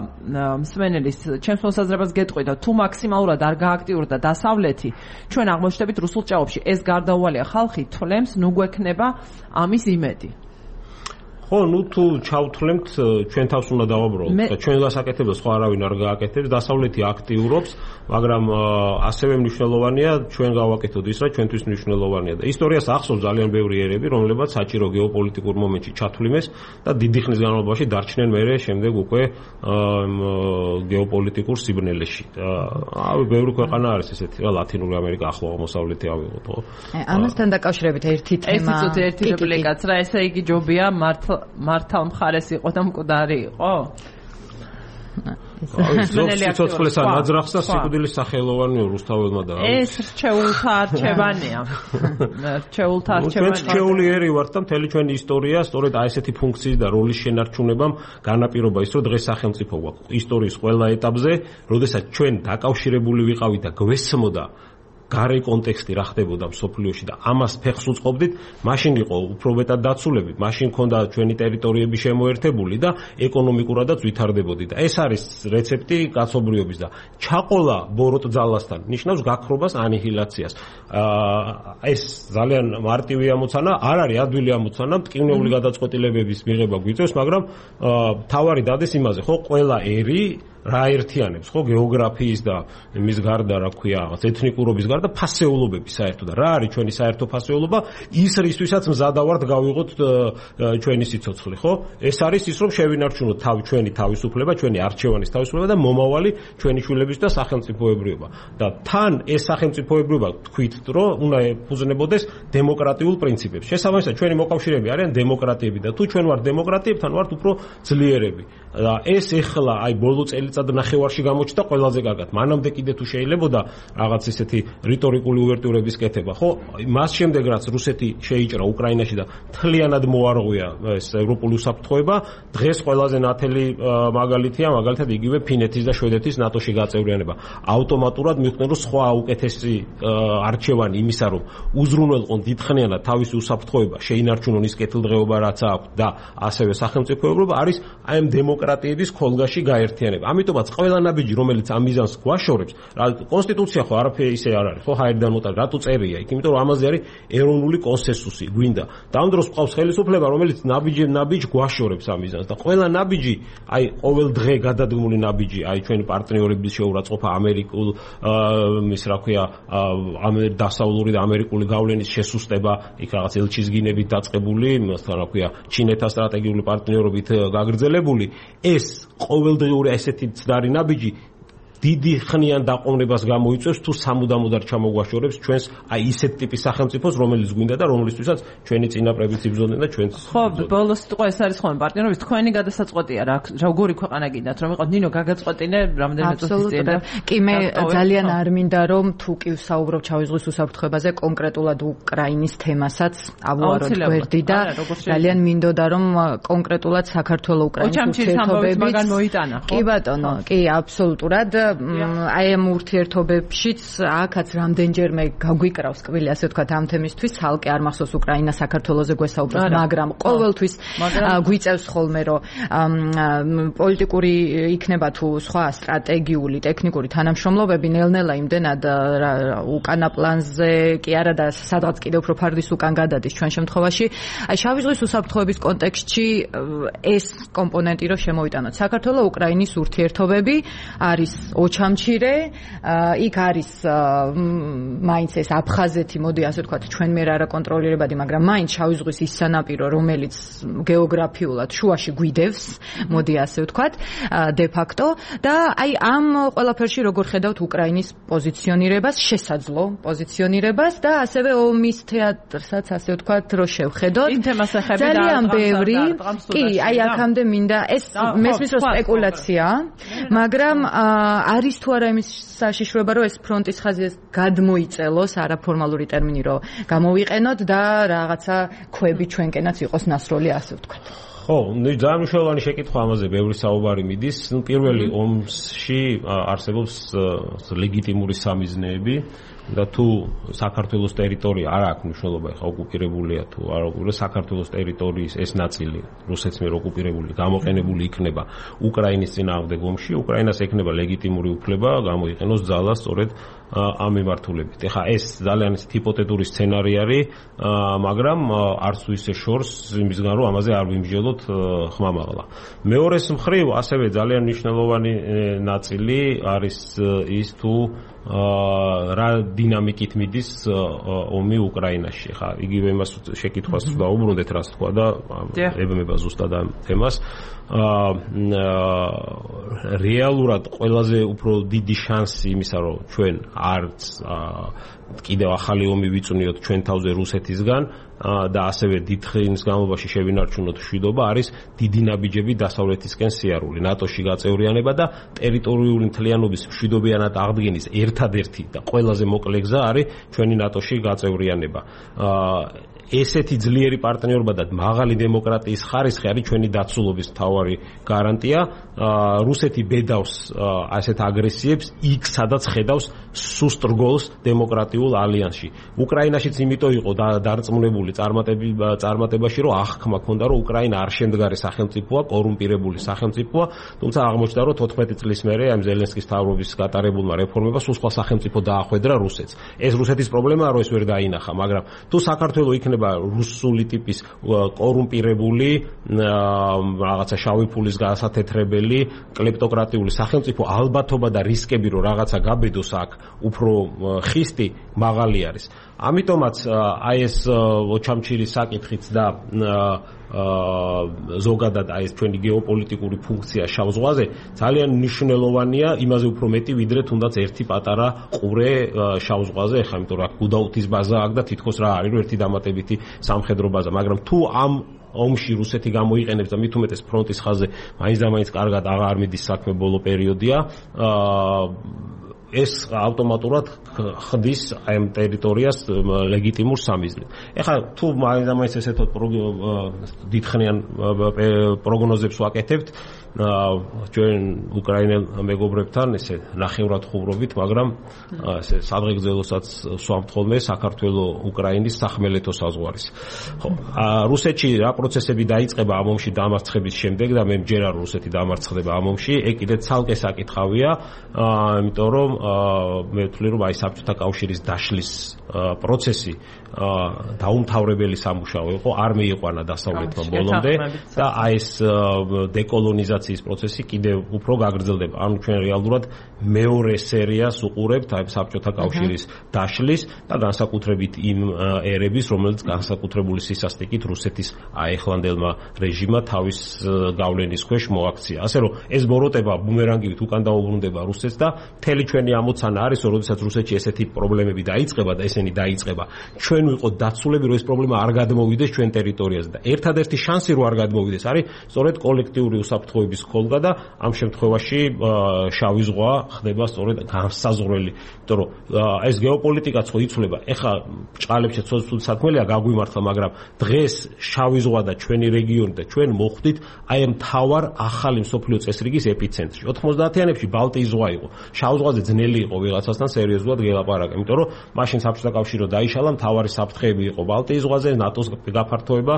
მსმენელის ჩემს მოსაზრებას გეტყვიდა თუ მაქსიმალურად არ გააქტიურდა დასავლეთი ჩვენ აღმოჩნდებით რუსულ ჭაობში ეს გარდაუვალია ხალხი თვლემს ნუ გვექნება ამის იმედი ხო, ну თუ ჩავთვლემთ ჩვენ თავს უნდა დავაბრალოთ და ჩვენ გასაკეთებელს ხო არავინ არ გააკეთებს, დასავლეთი აქტიურობს, მაგრამ ასევე მნიშვნელოვანია ჩვენ გავაკეთოთ ის, რა ჩვენთვის მნიშვნელოვანია და ისტორიას ახსოვს ძალიან ბევრი ერები, რომლებიც საჭირო გეოპოლიტიკურ მომენტში ჩათვლიმეს და დიდი ხნის განმავლობაში დარჩნენ მერე შემდეგ უკვე გეოპოლიტიკურ სიბნელეში. აი ბევრი ქვეყანა არის ესეთი, რა ლათინური ამერიკა, ახლო აღმოსავლეთი ავიღოთ, ხო? ამასთან დაკავშირებით ერთი თემა. ეს იცით ერთი რეპლიკაც რა, ესე იგი ჯობია მართლა მართალ მხარეს იყო და მკვდარი იყო? სიცოცხლეს ანაძრახს და სიკვდილის სახელოვანია რუსთაველმა და ეს რჩეულთა არჩევანია. რჩეულთა არჩევანია. ჩვენ რჩეული ერი ვართ და მთელი ჩვენი ისტორია სწორედ აი ესეთი ფუნქციის და როლის შენარჩუნებამ განაპირობა ის, რომ დღეს სახელმწიფო გვაქვს ისტორიის ყველა ეტაპზე, როდესაც ჩვენ დაკავშირებული ვიყავით და გვესმოდა გარე კონტექსტი რა ხდებოდა მსოფლიოში და ამას ფეხს უწყობდით, მაშინ იყო უფრო მეტად დაცულები, მაშინ ქონდა ჩვენი ტერიტორიები შემოერთებული და ეკონომიკურადაც ვითარდებოდი და ეს არის რეცეპტი კაცობრიობის და ჩაყოლა ბოროტ ძალასთან ნიშნავს გაქრობას, ანიჰილაციას. ეს ძალიან მარტივი ამოცანა, არ არის ადვილი ამოცანა, მტკივნეული გადაწყვეტილებების მიღება გვიწევს, მაგრამ თავარი დადეს იმაზე, ხო, ყველა ერი რა ერთიანებს ხო გეოგრაფიის და მის გარდა რა ქვია რაღაც ეთნიკურობის გარდა ფასეულობები საერთოდ და რა არის ჩვენი საერთო ფასეულობა ის რისთვისაც მზადავართ გავიღოთ ჩვენი სიცოცხლე ხო ეს არის ის რომ შევინარჩუნოთ თავი ჩვენი თავისუფლება ჩვენი არჩევანის თავისუფლება და მომავალი ჩვენი შვილების და სახელმწიფოებრიობა და თან ეს სახელმწიფოებრიობა თქვით რომ უნდა ეფუძნებოდეს დემოკრატიულ პრინციპებს შესაბამისად ჩვენი მოკავშირეები არიან დემოკრატიები და თუ ჩვენ ვართ დემოკრატიებთან ვართ უფრო ძლიერები და ეს ეხლა აი ბოლო წელი წად ნახევარში გამოჩნდა ყველაზე კარგად. მანამდე კიდე თუ შეიძლებოდა რაღაც ისეთი რიტორიკული უვერტიურების კეთება, ხო? მას შემდეგ რაც რუსეთი შეიჭრა უკრაინაში და თლიანად მოარღვია ეს ევროპული უსაფრთხოება, დღეს ყველაზე ნათელი მაგალითია, მაგალითად იგივე ფინეთის და შვედეთის ნატოში გაწევრიანება. ავტომატურად მიხვდნენ რომ სხვა უკეთესი არჩევანი იმისა რომ უზრუნველყონ დიდხნიანად თავისი უსაფრთხოება, შეინარჩუნონ ის კეთილდღეობა რაც აქვს და ასევე სახელმწიფოებრიობა არის აი ამ დემოკრატიების ხოლგაში გაერთიანება. ამიტომაც ყველა ნაბიჯი რომელიც ამ მიზანს გვაშორებს, რა კონსტიტუცია ხო არაფერი ისე არ არის, ხო ჰაერიდან მოტა რატო წერია იქ, იმიტომ რომ ამაზე არის ეროვნული კონსენსუსი, გვინდა. და ამ დროს ყავს ხელისუფლება, რომელიც ნაბიჯი ნაბიჯ გვაშორებს ამ მიზანს და ყველა ნაბიჯი, აი ყოველ დღე გადადგმული ნაბიჯი, აი ჩვენი პარტნიორების შეურაცხყოფა ამერიკულ ის რა ქვია, დასავლური და ამერიკული გავლენის შესუსტება, იქ რაღაც ელჩიზგინებით დაწყებული, მასთან რა ქვია, ჩინეთთან სტრატეგიული პარტნიორობით გაგრძელებული, ეს ყოველდღიური ესეთი ცდარი ნაბიჯი დიდი ხნიან დაყოვნებას გამოიწვევს თუ სამუდამოდ არ ჩამოგვაშორებს ჩვენს აი ისეთ ტიპის სახელმწიფოს რომელიც გვინდა და რომლისთვისაც ჩვენი წინაპრებიც იბრძოდნენ და ჩვენც ხო ბოლოს სიტყვა ეს არის ხოლმე პარტნიორობის თქვენი გადასაწყვეტია რა როგორი ქვეყანა გინდათ რომ იყოთ ნინო გაგაწყვეტინე რამდენიმე წუთის წინ და კი მე ძალიან არ მინდა რომ თუ კი ვსაუბრობ ჩავიზღვის უსაფრთხოებაზე კონკრეტულად უკრაინის თემასაც ავუაროთ გვერდი და ძალიან მინდოდა რომ კონკრეტულად საქართველოს უკრაინის ურთიერთობებით კი ბატონო კი აბსოლუტურად აი ამ ურთიერთობებშიც აქაც რამდენჯერმე გაგვიკრავს კბილი ასე ვთქვათ ამ თემისთვის ხალხი არ მახსოვს უკრაინა საქართველოზე გვესაუბრებს მაგრამ ყოველთვის გვიწევს ხოლმე რომ პოლიტიკური იქნება თუ სხვა სტრატეგიული ტექნიკური თანამშრომლობები ნელ-ნელა იმდენად უკანა პლანზე კი არა და სადღაც კიდევ უფრო ფარდის უკან გადადის ჩვენ შემთხვევაში აი შავი ზღვის უსაფრთხოების კონტექსტში ეს კომპონენტი რომ შემოვიტანოთ საქართველოს უკრაინის ურთიერთობები არის ოჩამჩირე, იქ არის მაინც ეს აფხაზეთი, მოდი ასე ვთქვათ, ჩვენ მე რა კონტროლირებადი, მაგრამ მაინც შავი ზღვის ის სანაპირო, რომელიც გეოგრაფიულად შუაში გვიდევს, მოდი ასე ვთქვათ, დე ფაქტო და აი ამ ყველაფერში როგორ ხედავთ უკრაინის პოზიციონირებას, შესაძლო პოზიციონირებას და ასევე ომის თეატრსაც ასე ვთქვათ, რო შევხედოთ. ძალიან ბევრი, კი, აი აქამდე მინდა ეს მესმის რომ სპეკულაცია, მაგრამ არის თუ არა იმის საშიშროება რომ ეს ფრონტის ხაზი გადმოიწელოს არაფორმალური ტერმინი რომ გამოვიყენოთ და რაღაცა ქვები ჩვენკენაც იყოს ნასროლი ასე ვთქვათ. ხო, ძალიან მნიშვნელოვანი შეკითხვა ამაზე ბევრი საუბარი მიდის. ნუ პირველი ომში არსებობს ლეგიტიმური სამიზნეები და თუ საქართველოს ტერიტორია არ აქვს მნიშვნელობა, ხა ოკუპირებულია თუ არ ოკუპირებულია, საქართველოს ტერიტორიის ეს ნაწილი რუსეთის მიერ ოკუპირებული გამოყენებული იქნება უკრაინის წინააღმდეგ ომში, უკრაინას ექნება ლეგიტიმური უფლება გამოიყენოს ძალა სწორედ ამ მიმართულებით. ეხლა ეს ძალიან ჰიპოთეტური სცენარი არის, მაგრამ არც თუ ისე შორს იმისგან რომ ამაზე არ ვიმსჯელოთ ხმამაღლა. მეორეს მხრივ ასევე ძალიან მნიშვნელოვანი ნაწილი არის ის თუ რა დინამიკით მიდის ომი უკრაინაში. ხა იგივე იმას შეკითხვას დაუბრუნდეთ, რას თქვა და ებმება ზუსტად ამ თემას. რეალურად ყველაზე უფრო დიდი შანსი იმისა, რომ ჩვენ არც კიდევ ახალი ომი ვიწვნიოთ ჩვენ თავზე რუსეთისგან და ასევე დიდ ხნის განმავლობაში შევინარჩუნოთ მშვიდობა, არის დიდი ნაბიჯები დასავლეთისკენ სიარული, ნატოში გაწევრიანება და ტერიტორიული მთლიანობის მშვიდობიანად აღდგენის ერთადერთი და ყველაზე მოკლე გზა არის ჩვენი ნატოში გაწევრიანება. ესეთი ძლიერი პარტნიორობა და მაღალი დემოკრატიის ხარისხი არის ჩვენი დაცულობის მთავარი გარანტია. რუსეთი ბედავს ასეთ აგრესიებს იქ, სადაც ხედავს სუსტ რგოლს დემოკრატიულ ალიანსში. უკრაინაშიც იმიტომ იყო დარწმუნებული წარმატებაში, რომ აღქმა ჰქონდა, რომ უკრაინა არ შემდგარი სახელმწიფოა, კორუმპირებული სახელმწიფოა, თუმცა აღმოჩნდა, რომ თოთხმეტი წლის მერე ამ ზელენსკის მთავრობის გატარებულმა რეფორმებმა სულ სხვა სახელმწიფო დაახვედრა რუსეთს. ეს რუსეთის პრობლემაა, რომ ეს ვერ დაინახა, მაგრამ თუ საქართველოს იქნება რუსული ტიპის კორუმპირებული, რაღაცა შავი ფულის გასათეთრებელი, კლეპტოკრატიული სახელმწიფო, ალბათობა და რისკები, რომ რაღაცა გაბედოს აქ უფრო ხისტი მაღალი არის. ამიტომაც აი ეს ოჩამჩირის საკითხიც და ზოგადად აი ეს ჩვენი გეოპოლიტიკური ფუნქცია შავ ზღვაზე ძალიან მნიშვნელოვანია, იმაზე უფრო მეტი ვიდრე თუნდაც ერთი პატარა ყურე შავ ზღვაზე, ეხლა იმიტომ რომ გუდაუთის ბაზა აქვს და თითქოს რა არის, რომ ერთი დამატებითი სამხედრო ბაზა, მაგრამ თუ ამ ომში რუსეთი გამოიყენებს და მით უმეტეს ფრონტის ხაზზე მაინც და მაინც კარგად აღარ მიდის საქმე, ბოლო პერიოდია, ეს ავტომატურად ხდის ამ ტერიტორიას ლეგიტიმურ სამიზნედ. ეხლა თუ მაინც და მაინც ესეთოთ დიდხნიან პროგნოზებს ვაკეთებთ ჩვენ უკრაინელ მეგობრებთან, ესე ნახევრად ხუბრობით, მაგრამ ესე სადღეგრძელოსაც სვამთ ხოლმე საქართველოს უკრაინის სახმელეთო საზღვარის. ხო, რუსეთში რა პროცესები დაიწყება ამ ომში დამარცხების შემდეგ და მე მჯერა რომ რუსეთი დამარცხდება ამ ომში, ეგ კიდე ცალკე საკითხავია, იმიტომ რომ მე ვთვლი რომ აი საბჭოთა კავშირის დაშლის პროცესი დაუმთავრებელი სამუშაო იყო, არ მიიყვანა დასავლეთმა ბოლომდე და აი ეს დეკოლონიზაციის პროცესი კიდევ უფრო გაგრძელდება. ანუ ჩვენ რეალურად მეორე სერიას უყურებთ აი საბჭოთა კავშირის დაშლის და განსაკუთრებით იმ ერების, რომელიც განსაკუთრებული სისასტიკით რუსეთის აეხლანდელმა რეჟიმმა თავის გავლენის ქვეშ მოაქცია. ასე რომ ეს ბოროტება ბუმერანგივით უკან დაუბრუნდება რუსეთს და მთელი ჩვენი ამოცანა არის, რომ როდესაც რუსეთში ესეთი პრობლემები დაიწყება და ესენი დაიწყება, ჩვენ ვიყოთ დაცულები, რომ ეს პრობლემა არ გადმოვიდეს ჩვენ ტერიტორიაზე და ერთადერთი შანსი რომ არ გადმოვიდეს არის სწორედ კოლექტიური უსაფრთხოების ხოლგა და ამ შემთხვევაში შავი ზღვა ხდება სწორედ განსაზღვრელი, იმიტომ რომ ეს გეოპოლიტიკაც ხო იცვლება. ეხლა ჭყალებშიც ცოტა საქმეა გაგვიმართლა, მაგრამ დღეს შავი ზღვა და ჩვენი რეგიონი და ჩვენ მოხვდით აი ამ მთავარ ახალი მსოფლიო წესრიგის ეპიცენტრში. ოთხმოცდაათიანებში ბალტიის ზღვა იყო. შავ ზღვაზე ძნელი იყო ვიღაცასთან სერიოზულად გელაპარაკა, იმიტომ რომ მაშინ საბჭოთა კავშირი დაიშალა, მთავარი საფრთხეები იყო ბალტიის ზღვაზე, ნატოს გაფართოება,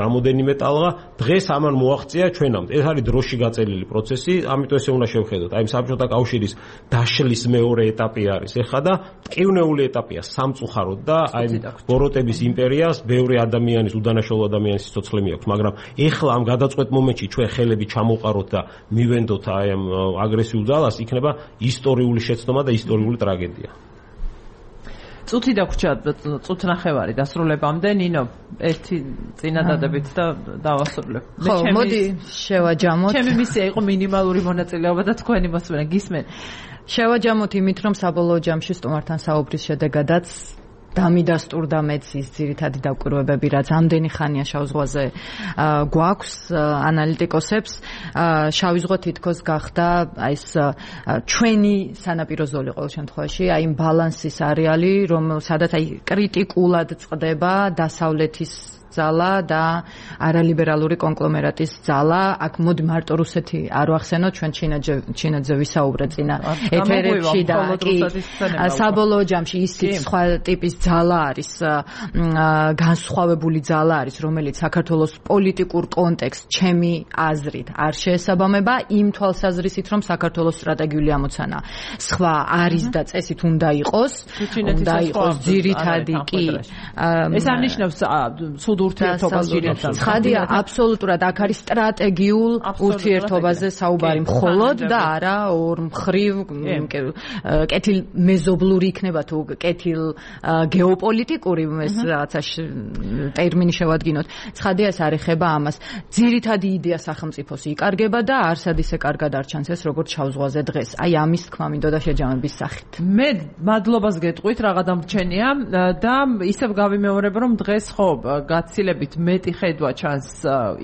რამოდენიმე ტალღა. დღეს ამან მოაღწია ჩვენამდე. ეს არის დროში გაწელილი პროცესი, ამიტომ ესე უნდა შევხედოთ. აი საბჭოთა კავშირის დაშლის მეორე ეტაპი არის ეხლა და ტკივნეული ეტაპია სამწუხაროდ და აი ბოროტების იმპერიას ბევრი ადამიანის, უდანაშაულო ადამიანის სიცოცხლე მიაქვს, მაგრამ ეხლა ამ გადაწყვეტ მომენტში ჩვენ ხელები ჩამოვყაროთ და მივენდოთ აი ამ აგრესიულ ძალას, იქნება ისტორიული შეცდომა და ისტორიული ტრაგედია. წუთი დაგვრჩა, წუთ ნახევარი დასრულებამდე, ნინო, ერთი წინადადებით და დავასრულებ. ხო, მოდი შევაჯამოთ. ჩემი მისია იყო მინიმალური მონაწილეობა და თქვენი მოსმენა გისმენ. შევაჯამოთ იმით, რომ საბოლოო ჯამში სტუმართან საუბრის შედეგადაც დამიდასტურდა მეც ის ძირითადი დაკვირვებები, რაც ამდენი ხანია შავ ზღვაზე გვაქვს ანალიტიკოსებს. შავი ზღვა თითქოს გახდა აი ეს ჩვენი სანაპირო ზოლი ყოველ შემთხვევაში, აი იმ ბალანსის არეალი, რომ სადაც აი კრიტიკულად წყდება დასავლეთის ძალა და არალიბერალური კონგლომერატის ძალა. აქ მოდი მარტო რუსეთი არ ვახსენოთ, ჩვენ ჩინეთზე ვისაუბრეთ წინა ეთერებში და კი საბოლოო ჯამში ისიც სხვა ტიპის ძალა არის, განსხვავებული ძალა არის, რომელიც საქართველოს პოლიტიკურ კონტექსტს ჩემი აზრით არ შეესაბამება იმ თვალსაზრისით, რომ საქართველოს სტრატეგიული ამოცანა სხვა არის და წესით უნდა იყოს, უნდა იყოს ძირითადი კი. ეს არნიშნავს სულ ურთიერთობას ძირითადად. ცხადია, აბსოლუტურად აქ არის სტრატეგიულ ურთიერთობაზე საუბარი მხოლოდ და არა ორმხრივ კეთილმეზობლური იქნება თუ კეთილ გეოპოლიტიკური ეს რაღაცა ტერმინი შევადგინოთ. ცხადია, ეს არ ეხება ამას. ძირითადი იდეა სახელმწიფოს იკარგება და არსად ისე კარგად არ ჩანს ეს როგორც ჩავზღვაზე დღეს. აი ამის თქმა მინდოდა შეჯამების სახით. მე მადლობას გეტყვით, რაღა დამრჩენია და ისევ გავიმეორებ, რომ დღეს ხო გაცილებით მეტი ხედვა ჩანს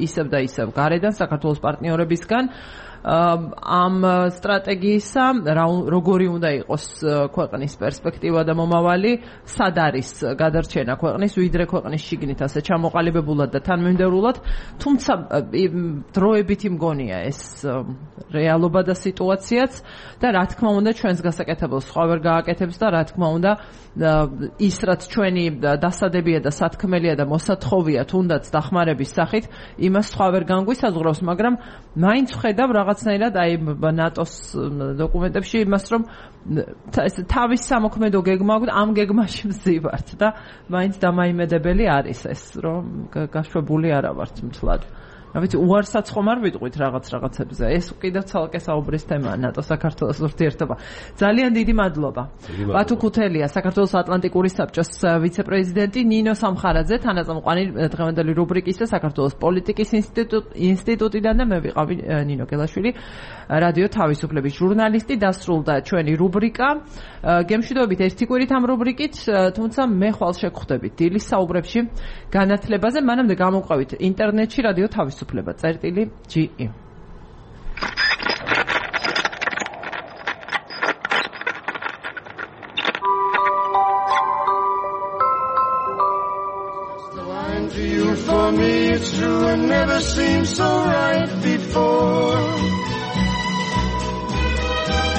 ისევ და ისევ გარედან საქართველოს პარტნიორებისგან ამ სტრატეგიისა, როგორი უნდა იყოს ქვეყნის პერსპექტივა და მომავალი, სად არის გადარჩენა ქვეყნის, ვიდრე ქვეყნის შიგნით ასე ჩამოყალიბებულად და თანმიმდევრულად, თუმცა დროებითი მგონია ეს რეალობა და სიტუაციაც და რა თქმა უნდა ჩვენს გასაკეთებელს სხვა ვერ გააკეთებს და რა თქმა უნდა ის რაც ჩვენი დასადებია და სათქმელია და მოსათხოვია თუნდაც დახმარების სახით, იმას სხვა ვერ განგვისაზღვრავს, მაგრამ მაინც ვხედავ რაღაცნაირად აი ნატოს დოკუმენტებში იმას, რომ ეს თავის სამოქმედო გეგმა აქვს, ამ გეგმაში მზივართ და მაინც დამაიმედებელი არის ეს, რომ გაშვებული არა ვართ მთლად. რა ვიცი, უარსაც ხომ არ ვიტყვით რაღაც რაღაცებზე. ეს კიდევ ცალკე საუბრის თემაა ნატო-საქართველოს ურთიერთობა. ძალიან დიდი მადლობა. ბათუ ქუთელია, საქართველოს ატლანტიკური საბჭოს ვიცე-პრეზიდენტი, ნინო სამხარაძე, თანაწამყვანი დღევანდელი რუბრიკის და საქართველოს პოლიტიკის ინსტიტუტიდან და მე ვიყავი ნინო გელაშვილი, რადიო თავისუფლების ჟურნალისტი. დასრულდა ჩვენი რუბრიკა. გემშვიდობით ერთი კვირით ამ რუბრიკით, თუმცა მე ხვალ შეგხვდებით დილის საუბრებში განათლებაზე, მანამდე გამოვყავით ინტერნეტში რადიო თავისუფლება წერტილი ჯი ი. For me it's true and never seemed so right before.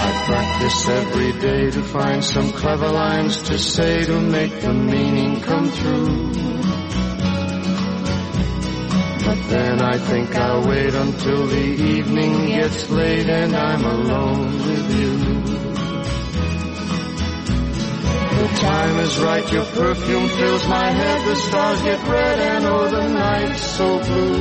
I practice every day to find some clever lines to say to make the meaning come true. But then I think I'll wait until the evening gets late and I'm alone with you. The time is right, your perfume fills my head, the stars get red and oh the night's so blue.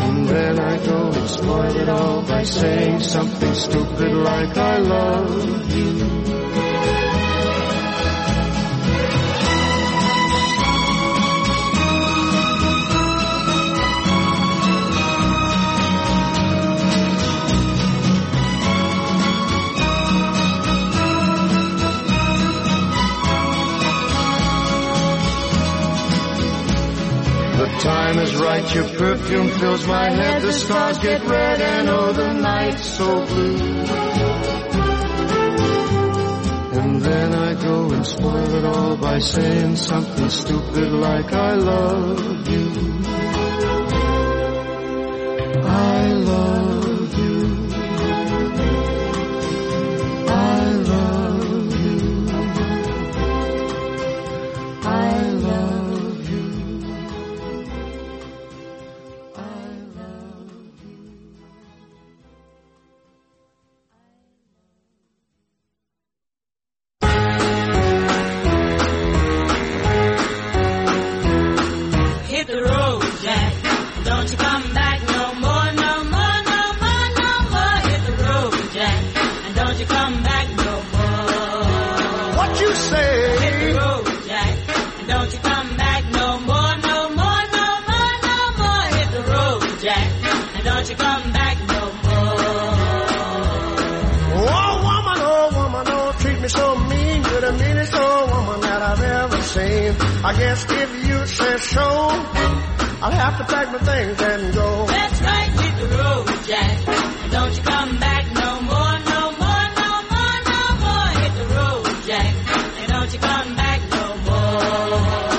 And then I go and spoil it all by saying something stupid like I love you. The time is right, your perfume fills my head, the stars get red and oh the night's so blue. And then I go and spoil it all by saying something stupid like I love you. I love you. I love you. I love you. I guess if you say so, I'll have to pack my things and go. That's right, hit the road, Jack. And don't you come back no more, no more, no more, no more. Hit the road, Jack. And don't you come back no more.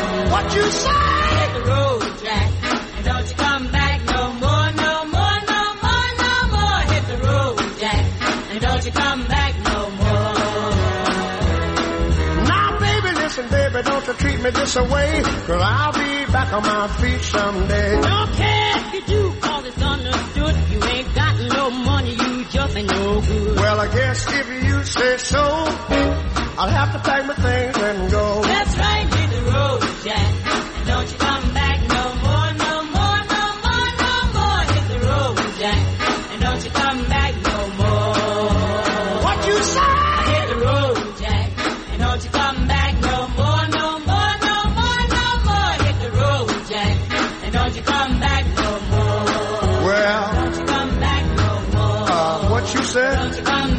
come back no more. Now, baby, listen, baby, don't you treat me this way, 'cause I'll be back on my feet someday. Don't care if you do, 'cause it's understood. You ain't got no money, you just ain't no good. Well, I guess if you say so, I'll have to pack my things and go. That's right, hit the road, Jack. And don't you come back no more, no more, no more, no more. Hit the road, Jack. And don't you come back no more. What you say? Hit the road, Jack. And don't you come back no more, no more, no more, no more. Hit the road, Jack. And don't you come back no more. Well, don't you come back no more. Uh, what you said? Don't you come